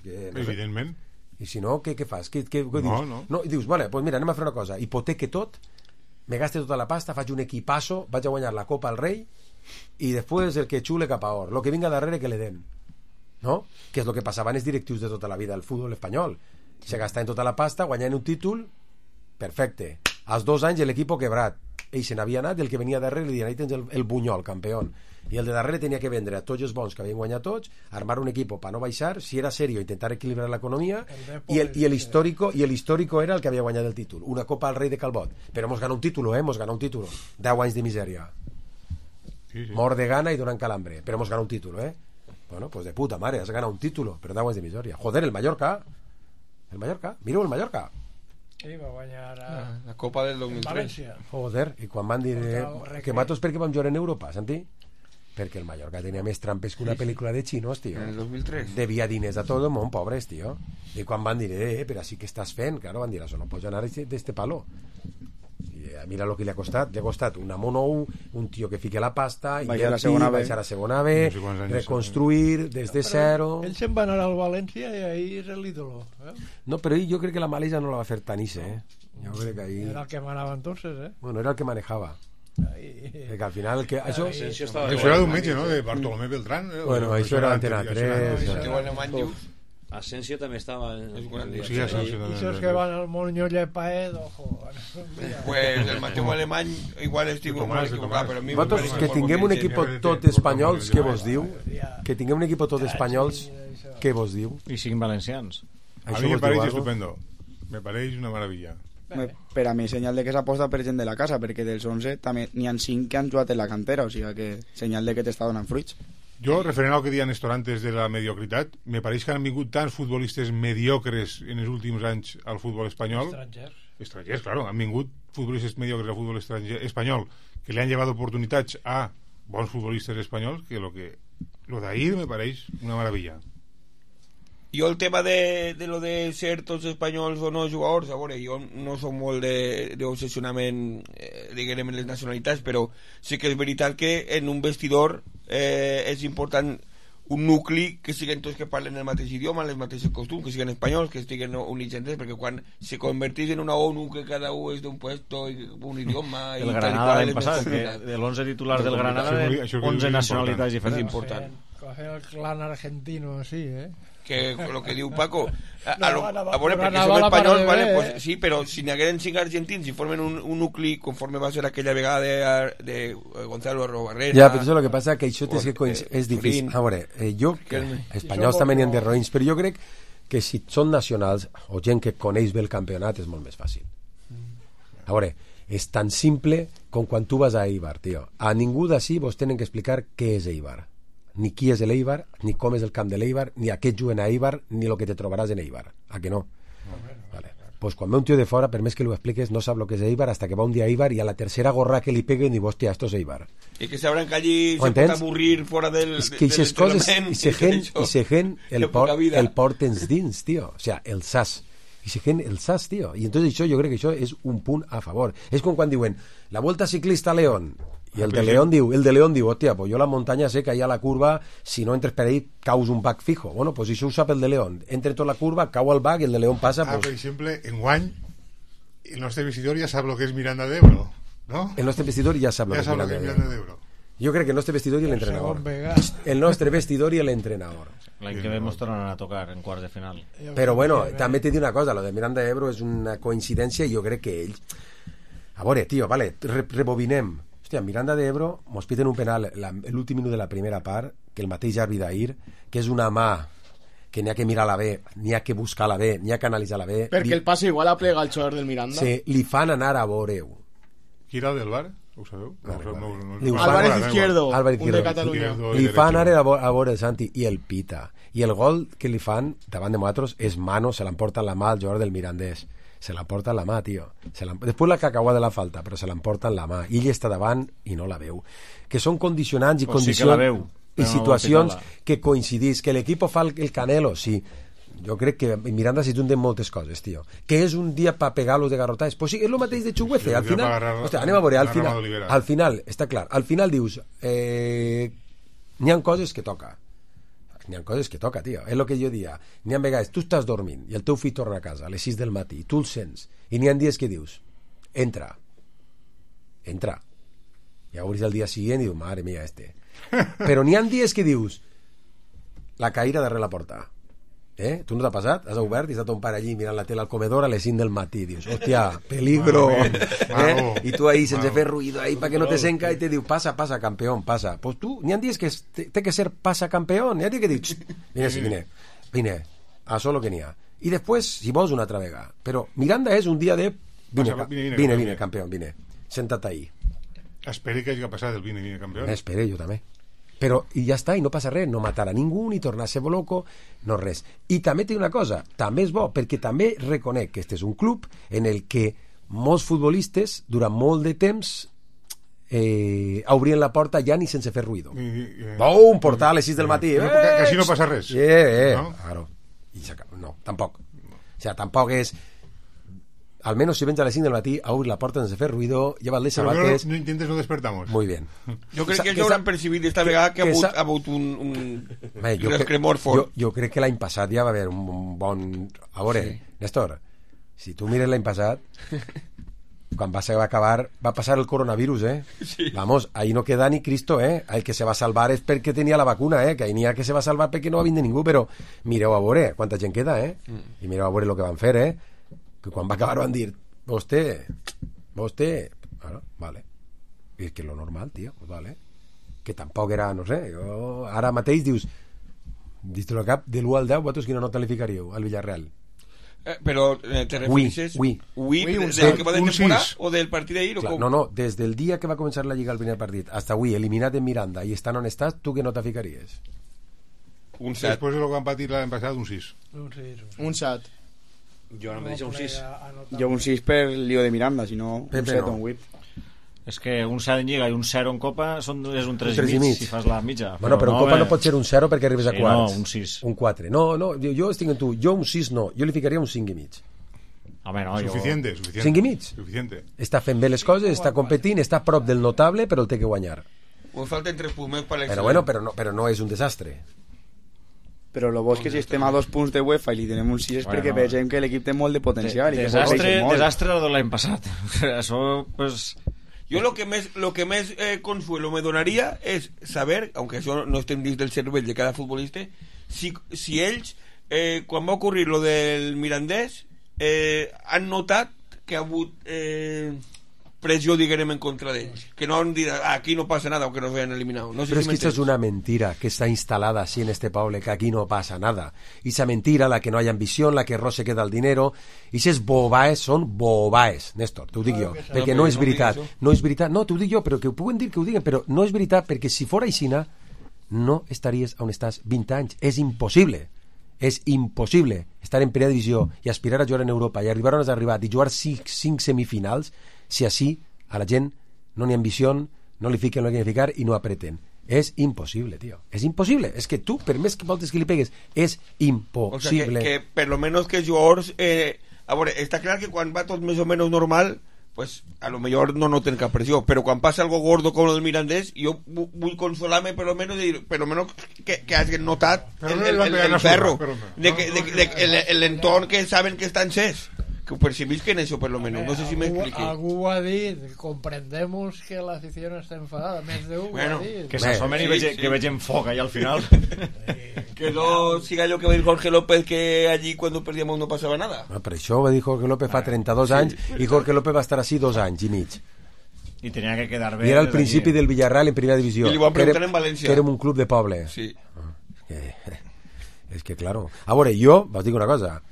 Evidentment. I si no, què fas? Què dius? No, i dius, vale, pues mira, anem a fer una cosa. Hipoteque tot, me gaste tota la pasta, faig un equipasso, vaig a guanyar la Copa al Rei i després el que xule cap a or. Lo que vinga darrere que le den. No? Que és el que passava en els directius de tota la vida del futbol espanyol, se gastaven tota la pasta guanyant un títol, perfecte, als 2 anys l'equip quebrat, ell se n'havia anat i el que venia darrere li deien, ahí tens el Bunyol, campió, i el de darrere tenia que vendre a tots els bons que havien guanyat tots, armar un equip per no baixar, si era serio intentar equilibrar l'economia i l'histórico era el que havia guanyat el títol, una Copa al Rei de Calbot, però hemos ganado un títol, 10 anys de misèria, mort de gana i donant calambre, però hemos ganado un títol, Bueno, pues de puta madre, has ganado un título, pero da aguas de miseria. Joder, el Mallorca. Mira el Mallorca. Sí, va guanyar la Copa del 2003. València. Joder, i quan van dir que matos perquè vam jugar en Europa, Santi? Perquè el Mallorca tenia més trampes que una pel·lícula de xinos, tio. En el 2003. Devia diners a tot el món, pobres, tio. I quan van dir, però sí que estàs fent, claro, van dir, això no pots anar d'este palo. mira lo que li ha costat una monou, un tio que fique la pasta, baixar a la segona B, reconstruir des de zero. Ell se'n va anar al València i ahí és l'ídolo. No, però jo crec que la malesa no la va fer tan isse, Jo crec que ahí... Era el que manava entonces, Bueno, era el que manejava. Que al final això era d'un metge, no? De Bartolomé Beltrán. Bueno, això era Antena 3. Asensio també estava i esos que van al Moño Llepaedo pues el Mateu Alemany igual estic molt equivocat, però a mi vosaltres que tinguem un equip tot espanyols, què vos diu? Que tinguem un equip tot espanyols, què vos diu? I siguin valencians. A mi me pareix estupendo, me pareix una meravella. Per a mi senyal de que s'aposta per gent de la casa, perquè dels 11 també n'hi ha 5 que han jugat en la cantera, o sigui que senyal de que t'està donant fruits. Jo, referent al que deia Néstor antes de la mediocritat, me pareix que han vingut tants futbolistes mediocres en els últims anys al futbol espanyol. Estrangers, claro, han vingut futbolistes mediocres al futbol espanyol que li han llevat oportunitats a bons futbolistes espanyols, que lo d'ahir me pareix una meravella. Jo el tema de lo de ser tots espanyols o no jugadors, a veure, jo no soc molt d'obsessionament diguem les nacionalitats, però sí que és veritat que en un vestidor és important un nucli que siguin tots que parlen el mateix idioma, les mateixes costums, que siguin espanyols, que estiguen units entre ells, perquè quan se convertís en una ONU que cada un és d'un puesto i un idioma el Granada l'any passat, que de l'11 titular del Granada 11 nacionalitats diferents. És important. El clan argentino, sí, que lo que diu Paco a veure, perquè som espanyols, vale, pues, sí, però si n'hi hagueren 5 argentins i formen un nucli conforme va ser aquella vegada de Gonzalo Arrobarrera. Ja, però això el que passa que això és difícil. A veure, jo, espanyols també n'hi ha de roïns, però jo crec que si són nacionals o gent que coneix bé el campionat és molt més fàcil. A veure, és tan simple com quan tu vas a Eibar, tio. A ningú d'ací vos tenen que explicar què és Eibar. Ni qui és l'Eibar, ni com és el camp de l'Eibar, ni a què juguen a Eibar, ni el que te trobaràs en Eibar. A que no? Vale. Pues quan ve un tio de fora, per més que li ho expliques, no sap el que és Eibar hasta que va un dia a Eibar i a la tercera gorra que li peguen i diu, hòstia, esto és Eibar. I que sabran que allí se pot avorrir fora del entrenament. I se gent el portens dins, tio. O sea, el sas. I se gent el sas, tio. I entonces això, jo crec que això és un punt a favor. És com quan diuen, la Volta Ciclista a León. I el de León diu, hòstia, pues jo la muntanya sé que allà a la curva, si no entres per ahí, caus un bac fijo. Bueno, pues això ho sap el de León. Entra tota la curva, cau al bac i el de León passa... Per exemple, en guany, el nostre vestidor ja sap lo que és Miranda de Ebro, ¿no? El nostre vestidor ja sap lo que és Miranda de Ebro. Jo crec que el nostre vestidor i l'entrenador. El nostre vestidor i l'entrenador. L'any que ve mos tornen a tocar en quarts de final. Però bueno, també t'he dit una cosa, lo de Miranda de Ebro és una coincidència i jo crec que ells... A veure, tio, vale, rebobinem. Hòstia, Miranda de Ebro mos piten un penal l'últim minut de la primera part, que el mateix àrbitre d'ahir, que és una mà que n'hi ha que mirar la B, n'hi ha que buscar la B, n'hi ha que analitzar la B. Perquè el passe igual aplega el jugador del Miranda. Sí, li fan anar a veure-ho. Qui era el del bar? Ho sabeu? Álvarez Izquierdo, un de Catalunya. Li fan anar a veure el Santi i el pita. I el gol que li fan davant de nosaltres és mano, se l'emporta en la mà al jugador del Mirandés. Se l'emporta en la mà, tio. Després la cacauà de la falta, però se l'emporta en la mà. I ell està davant i no la veu. Que són condicionants i condicions i situacions que coincidís. Que l'equip fa el Canelo, sí. Jo crec que Miranda s'hi junten moltes coses, tio. Que és un dia per pegar-los de garrotades. Pues sí, és el mateix de Chuguece. Al final, hòstia, anem a veure, al final, està clar, al final dius, n'hi ha coses que toca. N'hi ha coses que toca, tio. És el que jo dia. N'hi ha vegades, tu estàs dormint i el teu fill torna a casa a les 6 del matí i tu el sents. I n'hi ha dies que dius, entra. I obris el dia següent i dius, madre mía, Però n'hi ha dies que dius, la caïra darrere la porta. Tu no t'ha passat? Has obert i està ton pare allí mirant la tele al comedor a les 5 del matí i dius, hòstia, peligro. I tu ahí sense fer ruido ahí para que no te senca i te diu, pasa, campeón, pasa. Pues tu, n'hi ha dies que té que ser pasa campeón, n'hi ha dies que dius, vine, a solo que n'hi ha. I després, si vols, una altra vegada. Però Miranda és un dia de vine, campeón, vine, senta't ahí. Esperi que hagi passat el vine, campeón. Espere, jo també. Però, i ja està, i no passa res, no matar a ningú, ni tornar a ser loco, no res. I també té una cosa, també és bo, perquè també reconec que este és un club en el que molts futbolistes, durant molt de temps, obrien la porta ja ni sense fer ruïdo. Un portal a les 6 del matí. Que així no passa res. Claro. No, tampoc. O sigui, tampoc és... al menos si vens a les 5 del matí, a obrir la porta sense fer ruido, lleva les sabates... No intentes, no despertamos. Muy bien. Jo crec que ells hauran percibit esta vegada que ha hagut un rescremor fort. Jo crec que l'any passat ja va haver un bon... A veure, Néstor, si tu mires l'any passat, quan va acabar, va passar el coronavirus, Sí. Vamos, ahí no queda ni Cristo, El que se va salvar és perquè tenia la vacuna, Que ahí n'hi ha que se va salvar perquè no va vindre ningú, però mireu a veure quanta gent queda, I mireu a veure el que van fer, Que quan va acabar van dir, vostè, vale. I és que lo normal, tio, pues vale. Que tampoc era, no sé, jo ara mateix dius al cap, de l'1 al 10, vosaltres quina nota li ficaríeu al Villarreal? Però te refereixes del que va de temporada o del partit d'ahir? No, des del dia que va començar la Lliga el primer partit hasta avui, eliminat en Miranda i estan on estàs, tu què nota ficaries? Un 7. Després de lo que van patir l'any passat, un 6. Un 7. Jo ara mateix un 6. Jo un 6 per lío de Miranda, si no un 7 o un 8. És que un 7 en Lliga i un 0 en Copa és un 3 i mig si fas la mitja. Bueno, però en Copa no pot ser un 0 perquè arribes a quarts. No, un 6. Un 4. No, jo estic en tu. Jo un 6 no. Jo li ficaria un 5 i mig. Home, no, Suficiente. 5 i mig? Suficiente. Està fent bé les coses, està competint, està a prop del notable, però el té que guanyar. Us falten 3 punts més per l'excel·lent. Però bueno, però no és un desastre. Però el bo és que si estem a 2 punts de UEFA i li tenem un 6 és perquè vegem que l'equip té molt de potencial. Desastre de l'any passat. Això, pues... Jo lo que més consuelo me donaria és saber, aunque això no estem dins del cervell de cada futbolista, si ells, quan va ocorrir lo del Mirandés, han notat que ha hagut pressió, diguem, en contra d'ells, que no han dit aquí no passa nada o que nos hayan eliminado. No sé. Pero es que esto es una mentira que está instalada así en este pueblo, que aquí no pasa nada. Y esa mentira, la que no hay ambición, la que roce queda el dinero, y esas bobaes son bobaes, Néstor, t'ho dic jo, perquè no és veritat. No és veritat, no, t'ho dic jo, però que ho puguen dir que ho diguen, però no és veritat, perquè si fora aixina no estaries on estàs 20 anys. És impossible. És impossible estar en primera divisió i aspirar a jugar en Europa i arribar on has arribat i jugar 5 semifinals si així a la gent no n'hi ha ambició, no li fiquen el que han de ficar i no apreten. És impossible, tio. És impossible. És que tu, per més que voltes que li pegues, és impossible. O sea, que per lo menos que els jugadors... a veure, està clar que quan va tot més o menys normal, pues a lo mejor no noten cap pressió, però quan passa algo gordo com el Mirandés, jo vull consolar-me per lo menos que hagin notat el ferro, l'entorn que saben que està encès, que ho percibisquen això per lo menos. No sé si m'expliqui. Algú ha dit, comprendemos que la afición está enfadada, més d'un bueno, ha dit. Que s'assomen i que vegem foc allà al final. Que no siga allò que va dir Jorge López, que allí cuando perdíamos no pasaba nada. Per això va dir Jorge López fa 32 anys i Jorge López va estar així 2 anys i mig. I tenia que quedar bé. I era el principi del Villarreal en primera divisió. I li van preguntar en València. Que érem un club de poble. Sí. És que, claro. A veure, jo, vos dic una cosa.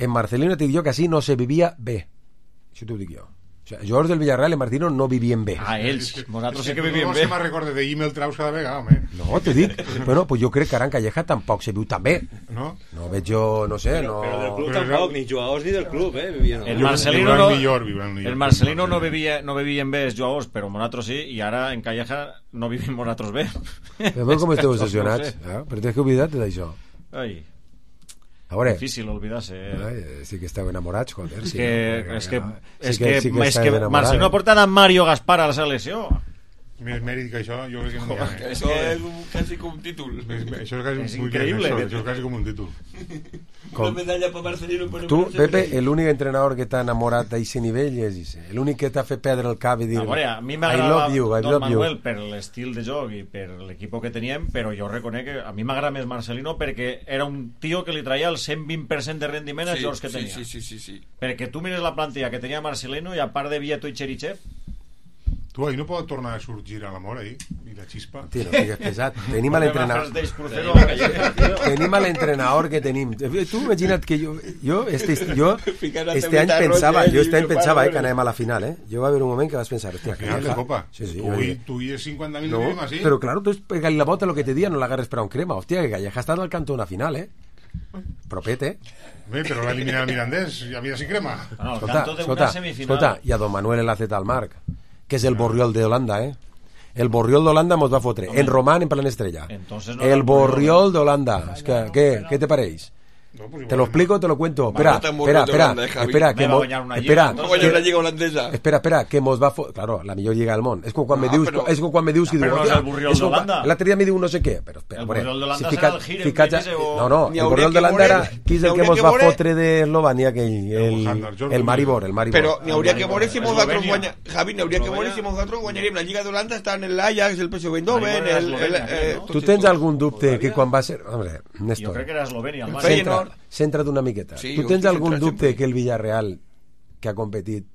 En Marcelino te dic jo que així no se vivia bé. Això t'ho dic jo. O sea, jugadors del Villarreal en Marcelino no vivien bé. Ells. Nosaltres sí que vivien bé. No se me recorda de email traus cada vegada, home. No, te dic. Bueno, pues jo crec que Aran Calleja tampoc se viu tan bé. No? No veig jo, no sé, no... Però del club tampoc, ni jugadors ni del club, vivien. El Marcelino no vivien bé els jugadors, però nosaltres sí, i ara en Calleja no vivim nosaltres bé. Però veus com esteu obsessionats? Però tens que oblidar-te d'això. Ai... A veure, difícil olvidar-se. Sí que esteu enamorats, joder. És que Marcelino ha portat a Mario Gaspar a la selecció. Més mèrit que això, jo crec que no hi ha. Això és quasi com un títol. Això és increïble. Això és quasi com un títol. Una medalla per Marcelino. Tu, Pepe, l'únic entrenador que t'ha enamorat d'aquest nivell és ese. L'únic que t'ha fet perdre el cap i dir a mi m'agradava Don Manuel per l'estil de joc i per l'equip que teníem, però jo reconec que a mi m'agrada més Marcelino perquè era un tio que li traia el 120% de rendiment als jocs que tenia. Sí. Perquè tu mires la plantilla que tenia Marcelino i a part de Vieto i Cherichev, tu, ahir no pot tornar a sorgir a l'amor, ahir? I la xispa? Tio, no sigues pesat. Tenim l'entrenador que tenim. Tu imagina't que jo este any pensava que anàvem a la final, Jo va haver un moment que vas pensar, hòstia, final de Copa. Sí, tu i 50.000 no, así. Però claro, tu pegas la bota lo que te diga, no l'agarres per a un crema. Hòstia, que Calleja ha estat al cantó una final, Propet, Bé, però l'ha eliminat el Mirandés, ja havia sin crema. Escolta, i a Don Manuel l'ha al Marc, que és el Borriol d'Holanda, El Borriol d'Holanda mos va fotre. En Román, en plan estrella. El Borriol d'Holanda. Què te pareix? No, pues te lo explico, te lo cuento. Espera, que mos va claro, la millor lliga del món. És com quan me dius que però no és el Borriol d'Holanda. L'altre dia me diu no sé què, però espera, el Borriol d'Holanda serà el Gir, no, el Borriol d'Holanda era qui és el que mos va fotre d'Eslovània aquell, el Maribor. Però n'hi hauria que veure si nosaltres guanyem, Javi, n'hi hauria que veure si nosaltres guanyaríem la Lliga d'Holanda, estan en l'Ajax, el PSV Eindhoven, Tu tens algun dubte que quan va ser... Hombre, Jo Néstor, crec que era Eslovènia. centra't una miqueta. Tu tens algun dubte que el Villarreal, que ha competit,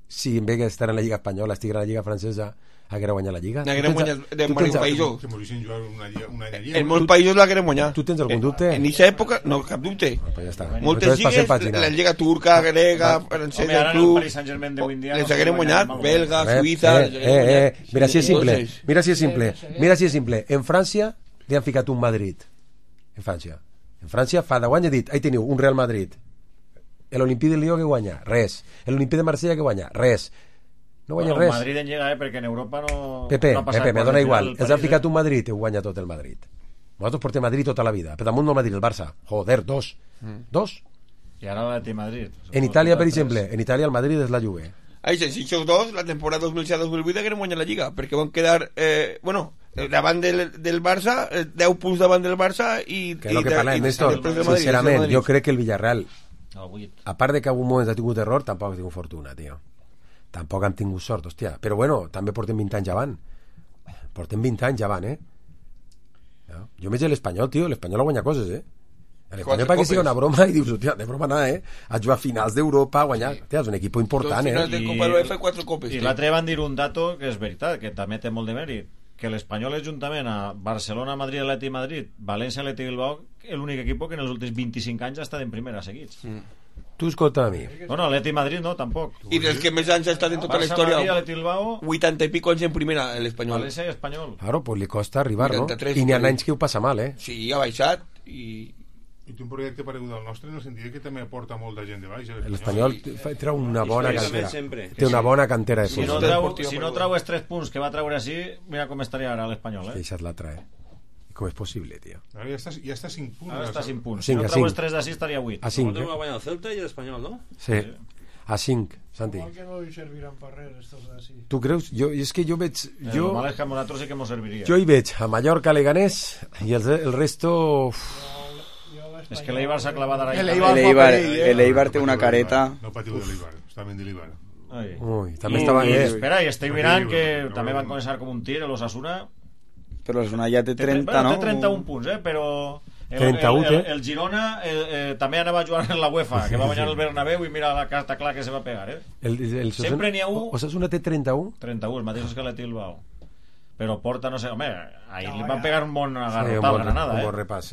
si en vez d'estar en la Lliga Espanyola estigués en la Lliga Francesa, haguera guanyat la Lliga? N'haguera guanyat de molts països. En molts països l'haguera guanyat. Tu tens algun dubte? En aquesta època, no, cap dubte. Pues ja està. Moltes lligues, la Lliga turca, grega, francesa, el club, les hagueren guanyat, belga, suïssa... Mira si és simple. En França li han ficat un Madrid. En França fa 10 anys he dit, ahí teniu un Real Madrid. L'Olimpí de Lió que guanya? Res. L'Olimpí de Marsella que guanya? Res. No guanya res. Madrid en llega, perquè en Europa no... Pepe, me dona igual. Els han ficat un Madrid i ho guanya tot el Madrid. Nosaltres portem Madrid tota la vida. Per damunt no Madrid, el Barça. Joder, dos. I ara l'Atleti Madrid. En Itàlia, per exemple, en Itàlia el Madrid és la Juve. Si aquests dos, la temporada 2007-2008 hagueren guanyat la Lliga, perquè van quedar, davant del Barça, 10 punts davant del Barça i... Que és el que parlem, Néstor. Sincerament, jo crec que el Villarreal, a part de que algun moment ha tingut error, tampoc ha tingut fortuna, tio. Tampoc han tingut sort, hòstia. Però bueno, també portem 20 anys avant. Jo veig l'Espanyol, tio. L'Espanyol ha guanyat coses, L'Espanyol perquè sigui una broma i dius, hòstia, de broma nada, a jugar a finals d'Europa, a guanyar. Hòstia, és un equip important, finals de Copa UEFA i 4 copes. I l'altre van dir un dato que és veritat, que també té molt de mèrit, que l'Espanyol és juntament a Barcelona, Madrid, Atleti Madrid, València, Atleti Bilbao, l'únic equip que en els últims 25 anys ha estat en primera seguits. Tu escolta a mi. Bueno, Atleti Madrid no, tampoc. I dels que més anys ha estat en tota la història, 80 i pico anys en primera, l'Espanyol. València i Espanyol. Claro, pues li costa arribar, no? I n'hi ha anys que ho passa mal, Sí, ha baixat i té un projecte paregut al nostre en el sentit que també aporta molta gent de baix. L'Espanyol treu una bona cantera. Té una bona cantera de punts. Si no treu els 3 punts que va treure així, mira com estaria ara l'Espanyol, Deixa't la trae. Com és possible, tio? Ja està 5 punts. Ara està 5 punts. Si no treu els 3 d'ací estaria 8. A 5. Va guanyar el Celta i l'Espanyol, no? Sí. A 5, Santi. Que no li serviran per res, estos d'ací. Tu creus? És que jo veig... El mal és que a nosaltres sí que mos serviria. Jo hi veig a Mallorca, Leganés i el resto... És que l'Eibar s'ha clavat ara. L'Eibar té una careta. No patiu de l'Eibar, està ben de l'Eibar. Ui, també estava bé. Espera, i estic mirant que també van començar com un tir l'Osasuna. Però l'Osasuna ja té 30, no? Té 31 punts, però... El Girona també anava a jugar en la UEFA, que va guanyar el Bernabéu i mira la carta clar que se va pegar, Sempre n'hi ha un... Osasuna té 31? 31, els mateixos que l'Atleti Bilbao. Però porta, no sé, home, ahir li van pegar un bon agarrotat a Granada, Un bon repàs,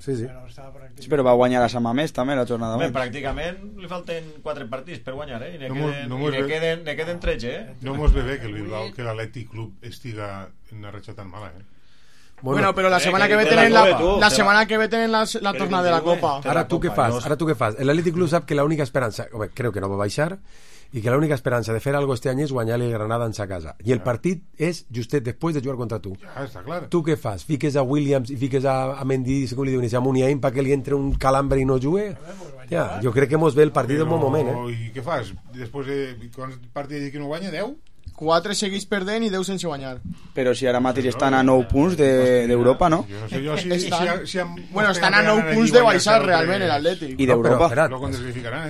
Sí. Sí, però va guanyar la Samamés també la jornada. Pràcticament li falten 4 partits per guanyar, i ne queden 13, No mos ve bé que el Bilbao, que l'Atlètic Club estiga en una ratxa tan mala, Bueno, pero la semana que ve tienen la tornada de la Copa. Ara tu què fas? L'Atlètic Club sap que l'única esperança, creu que no va baixar, i que l'única esperança de fer algo este any és guanyar-li Granada en sa casa. I el partit és justet després de jugar contra tu. Ja, està clar. Tu què fas? Fiques a Williams i fiques a Mendy, com li diuen, a Muniain perquè li entre un calambre i no jugue? Ja, jo crec que mos ve el partit en bon moment, I què fas? Després de quants partits que no guanya? 10? 4 seguits perdent i 10 sense guanyar. Però si ara mateix estan a 9 punts d'Europa, no? Bueno, estan a 9 punts de baixar realment l'Atlètic. I d'Europa.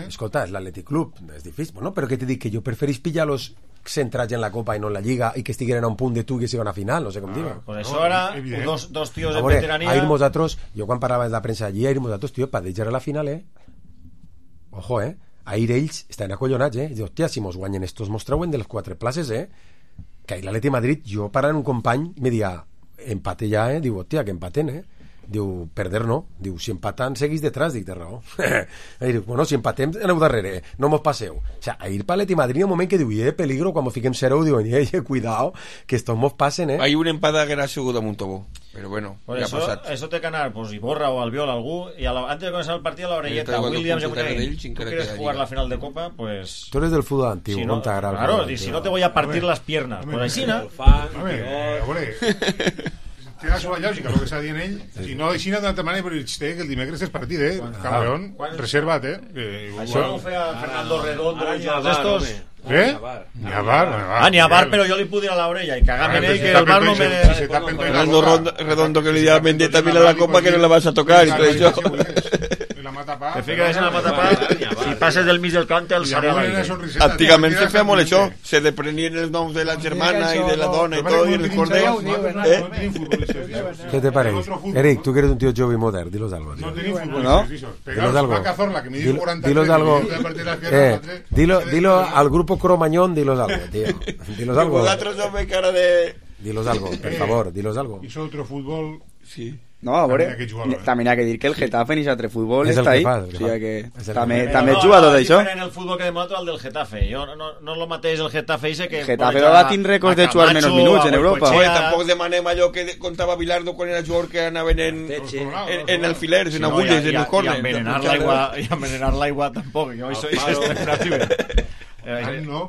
Escolta, és l'Atlètic Club, és difícil. Bueno, però què t'he dit? Que jo preferís pillar-los centrats en la Copa i no en la Lliga i que estigueren a un punt de tu i que siguen a final, no sé com dir. Per això ara, dos tios en veterania... Ahir nosaltres, jo quan parlava de la premsa allí, ahir nosaltres, tio, per deixar a la final, Ojo, ahir ells estan acollonats, Diu, hòstia, si mos guanyen estos mos treuen de les 4 places, Que ahir l'Atleti Madrid, jo parlant un company, me dia, empate ja, Diu, hòstia, que empaten, Diu, perder no. Diu, si empaten, seguís detrás. Dic, té raó. Diu, bueno, si empatem, aneu darrere, no mos passeu. O sea, ahir per l'Atleti Madrid, un moment que diu, peligro, quan mos fiquem 0, diuen, cuidado, que estos mos passen, Hay un empate que era segut a Montobó. Pero bueno, ya ha pasado. Eso te ganar, pues Iborra o Albiol, algú, y antes de comenzar el partido, la orelleta, Williams, tú quieres jugar la final de Copa, pues... Tú eres del fútbol antiguo, si no, claro, y si no te voy a partir las piernas, pues ahí sí, ¿no? pega a la lògica, el que està dient ell, i no així d'una altra manera, però que el dimecres és partit, Camerón, reserva't, Això ho feia Fernando Redondo i els estos. Ni a bar. Ni a bar, però jo li puc dir a l'orella i cagar-me en ell que el bar no me... Fernando Redondo que li diu a Mendieta, mira la copa que no la vas a tocar, i tot això. Que fiques en la matapà i passes del mig del camp el sarà. Antigament se feia molt això, se deprenien els noms de la germana i de la dona i tot, i els cordells. ¿Qué te parece? Eric, tú que eres un tío joven y moderno, dilos algo. No tenim futbolistes, Dilos algo. Dilo al grupo Cromañón, dilos algo, tío. Dilos algo. Vosaltres no ve cara de... Dilos algo, por favor, dilos algo. Y eso otro fútbol... Sí. No, a veure, també ha que dir que el Getafe ni s'altre futbol està ahí. O sigui que també juga tot això. En el futbol que demano al del Getafe. Jo no lo mateix el Getafe ese que... Getafe va tindre rècords de jugar menys minuts en Europa. Oye, tampoc demanem allò que contava Bilardo quan era jugador que anaven en alfilers, en agulles, en el córner. I envenenar l'aigua tampoc. Jo això extrem no arriba. A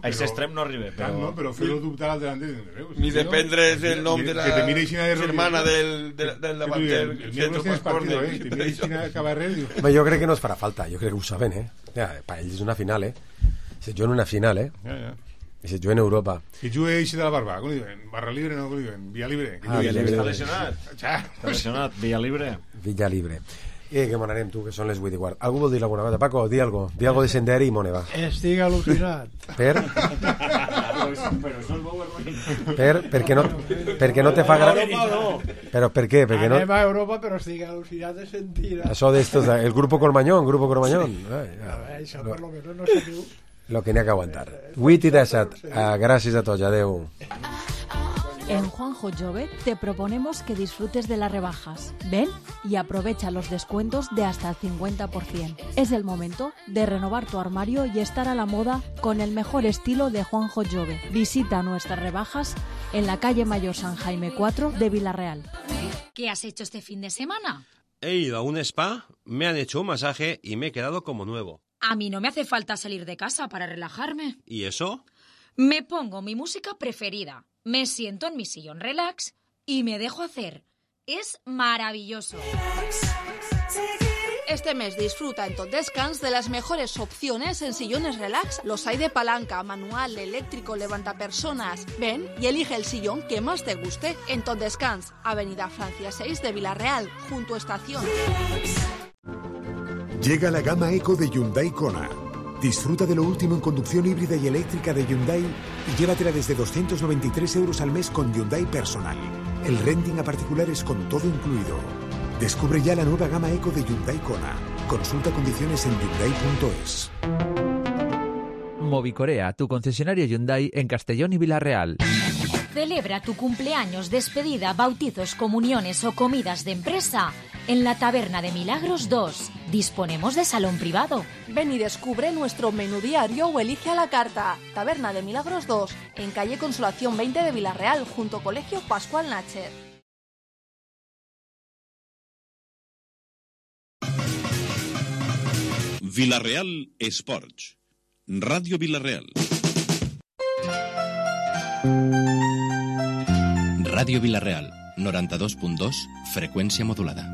aquest extrem no arriba. Però fer-lo dubtar al delanter. Ni dependre el nom de la germana del davanter. El miembro tienes partido, te mira China Cabarré. Yo creo que no es farà falta, yo creo que ho saben, para ells és una final, Se juga en una final, I se juga en Europa. I juga eixe de la barba, com li diuen? Barra libre, no, com li diuen? Via libre. Està lesionat. Està lesionat, Villa libre. Villa libre. Que m'anarem, tu, que són les 8:15. Algú vol dir alguna cosa? Paco, di algo de Senderi i mone, va. Estic al·lucinat. Perquè no te fa gràcia. Però per què? Anem a Europa, però estic al·lucinat de sentir. Això d'estos, el grupo Cormañón. Això per lo menos no se diu. Lo que n'hi ha que aguantar. 8:17. Gràcies a tots, adeu. En Juanjo Jove te proponemos que disfrutes de las rebajas. Ven y aprovecha los descuentos de hasta el 50%. Es el momento de renovar tu armario y estar a la moda con el mejor estilo de Juanjo Jove. Visita nuestras rebajas en la calle Mayor San Jaime 4 de Villarreal. ¿Qué has hecho este fin de semana? He ido a un spa, me han hecho un masaje y me he quedado como nuevo. A mí no me hace falta salir de casa para relajarme. ¿Y eso? Me pongo mi música preferida, me siento en mi sillón relax y me dejo hacer. Es maravilloso. Este mes disfruta en Tot Descans de las mejores opciones en sillones relax. Los hay de palanca, manual, eléctrico, levantapersonas. Ven y elige el sillón que más te guste en Tot Descans, Avenida Francia 6 de Villarreal, junto a Estación. Llega la gama Eco de Hyundai Kona. Disfruta de lo último en conducción híbrida y eléctrica de Hyundai y llévatela desde 293 € al mes con Hyundai Personal. El renting a particulares con todo incluido. Descubre ya la nueva gama Eco de Hyundai Kona. Consulta condiciones en hyundai.es. Movicorea, tu concesionario Hyundai en Castellón y Villarreal. Celebra tu cumpleaños, despedida, bautizos, comuniones o comidas de empresa en la Taberna de Milagros 2. Disponemos de salón privado. Ven y descubre nuestro menú diario o elige a la carta. Taberna de Milagros 2, en calle Consolación 20 de Villarreal, junto Colegio Pascual Nacher. Villarreal Sports. Radio Villarreal. Radio Villarreal, 92.2, freqüència modulada.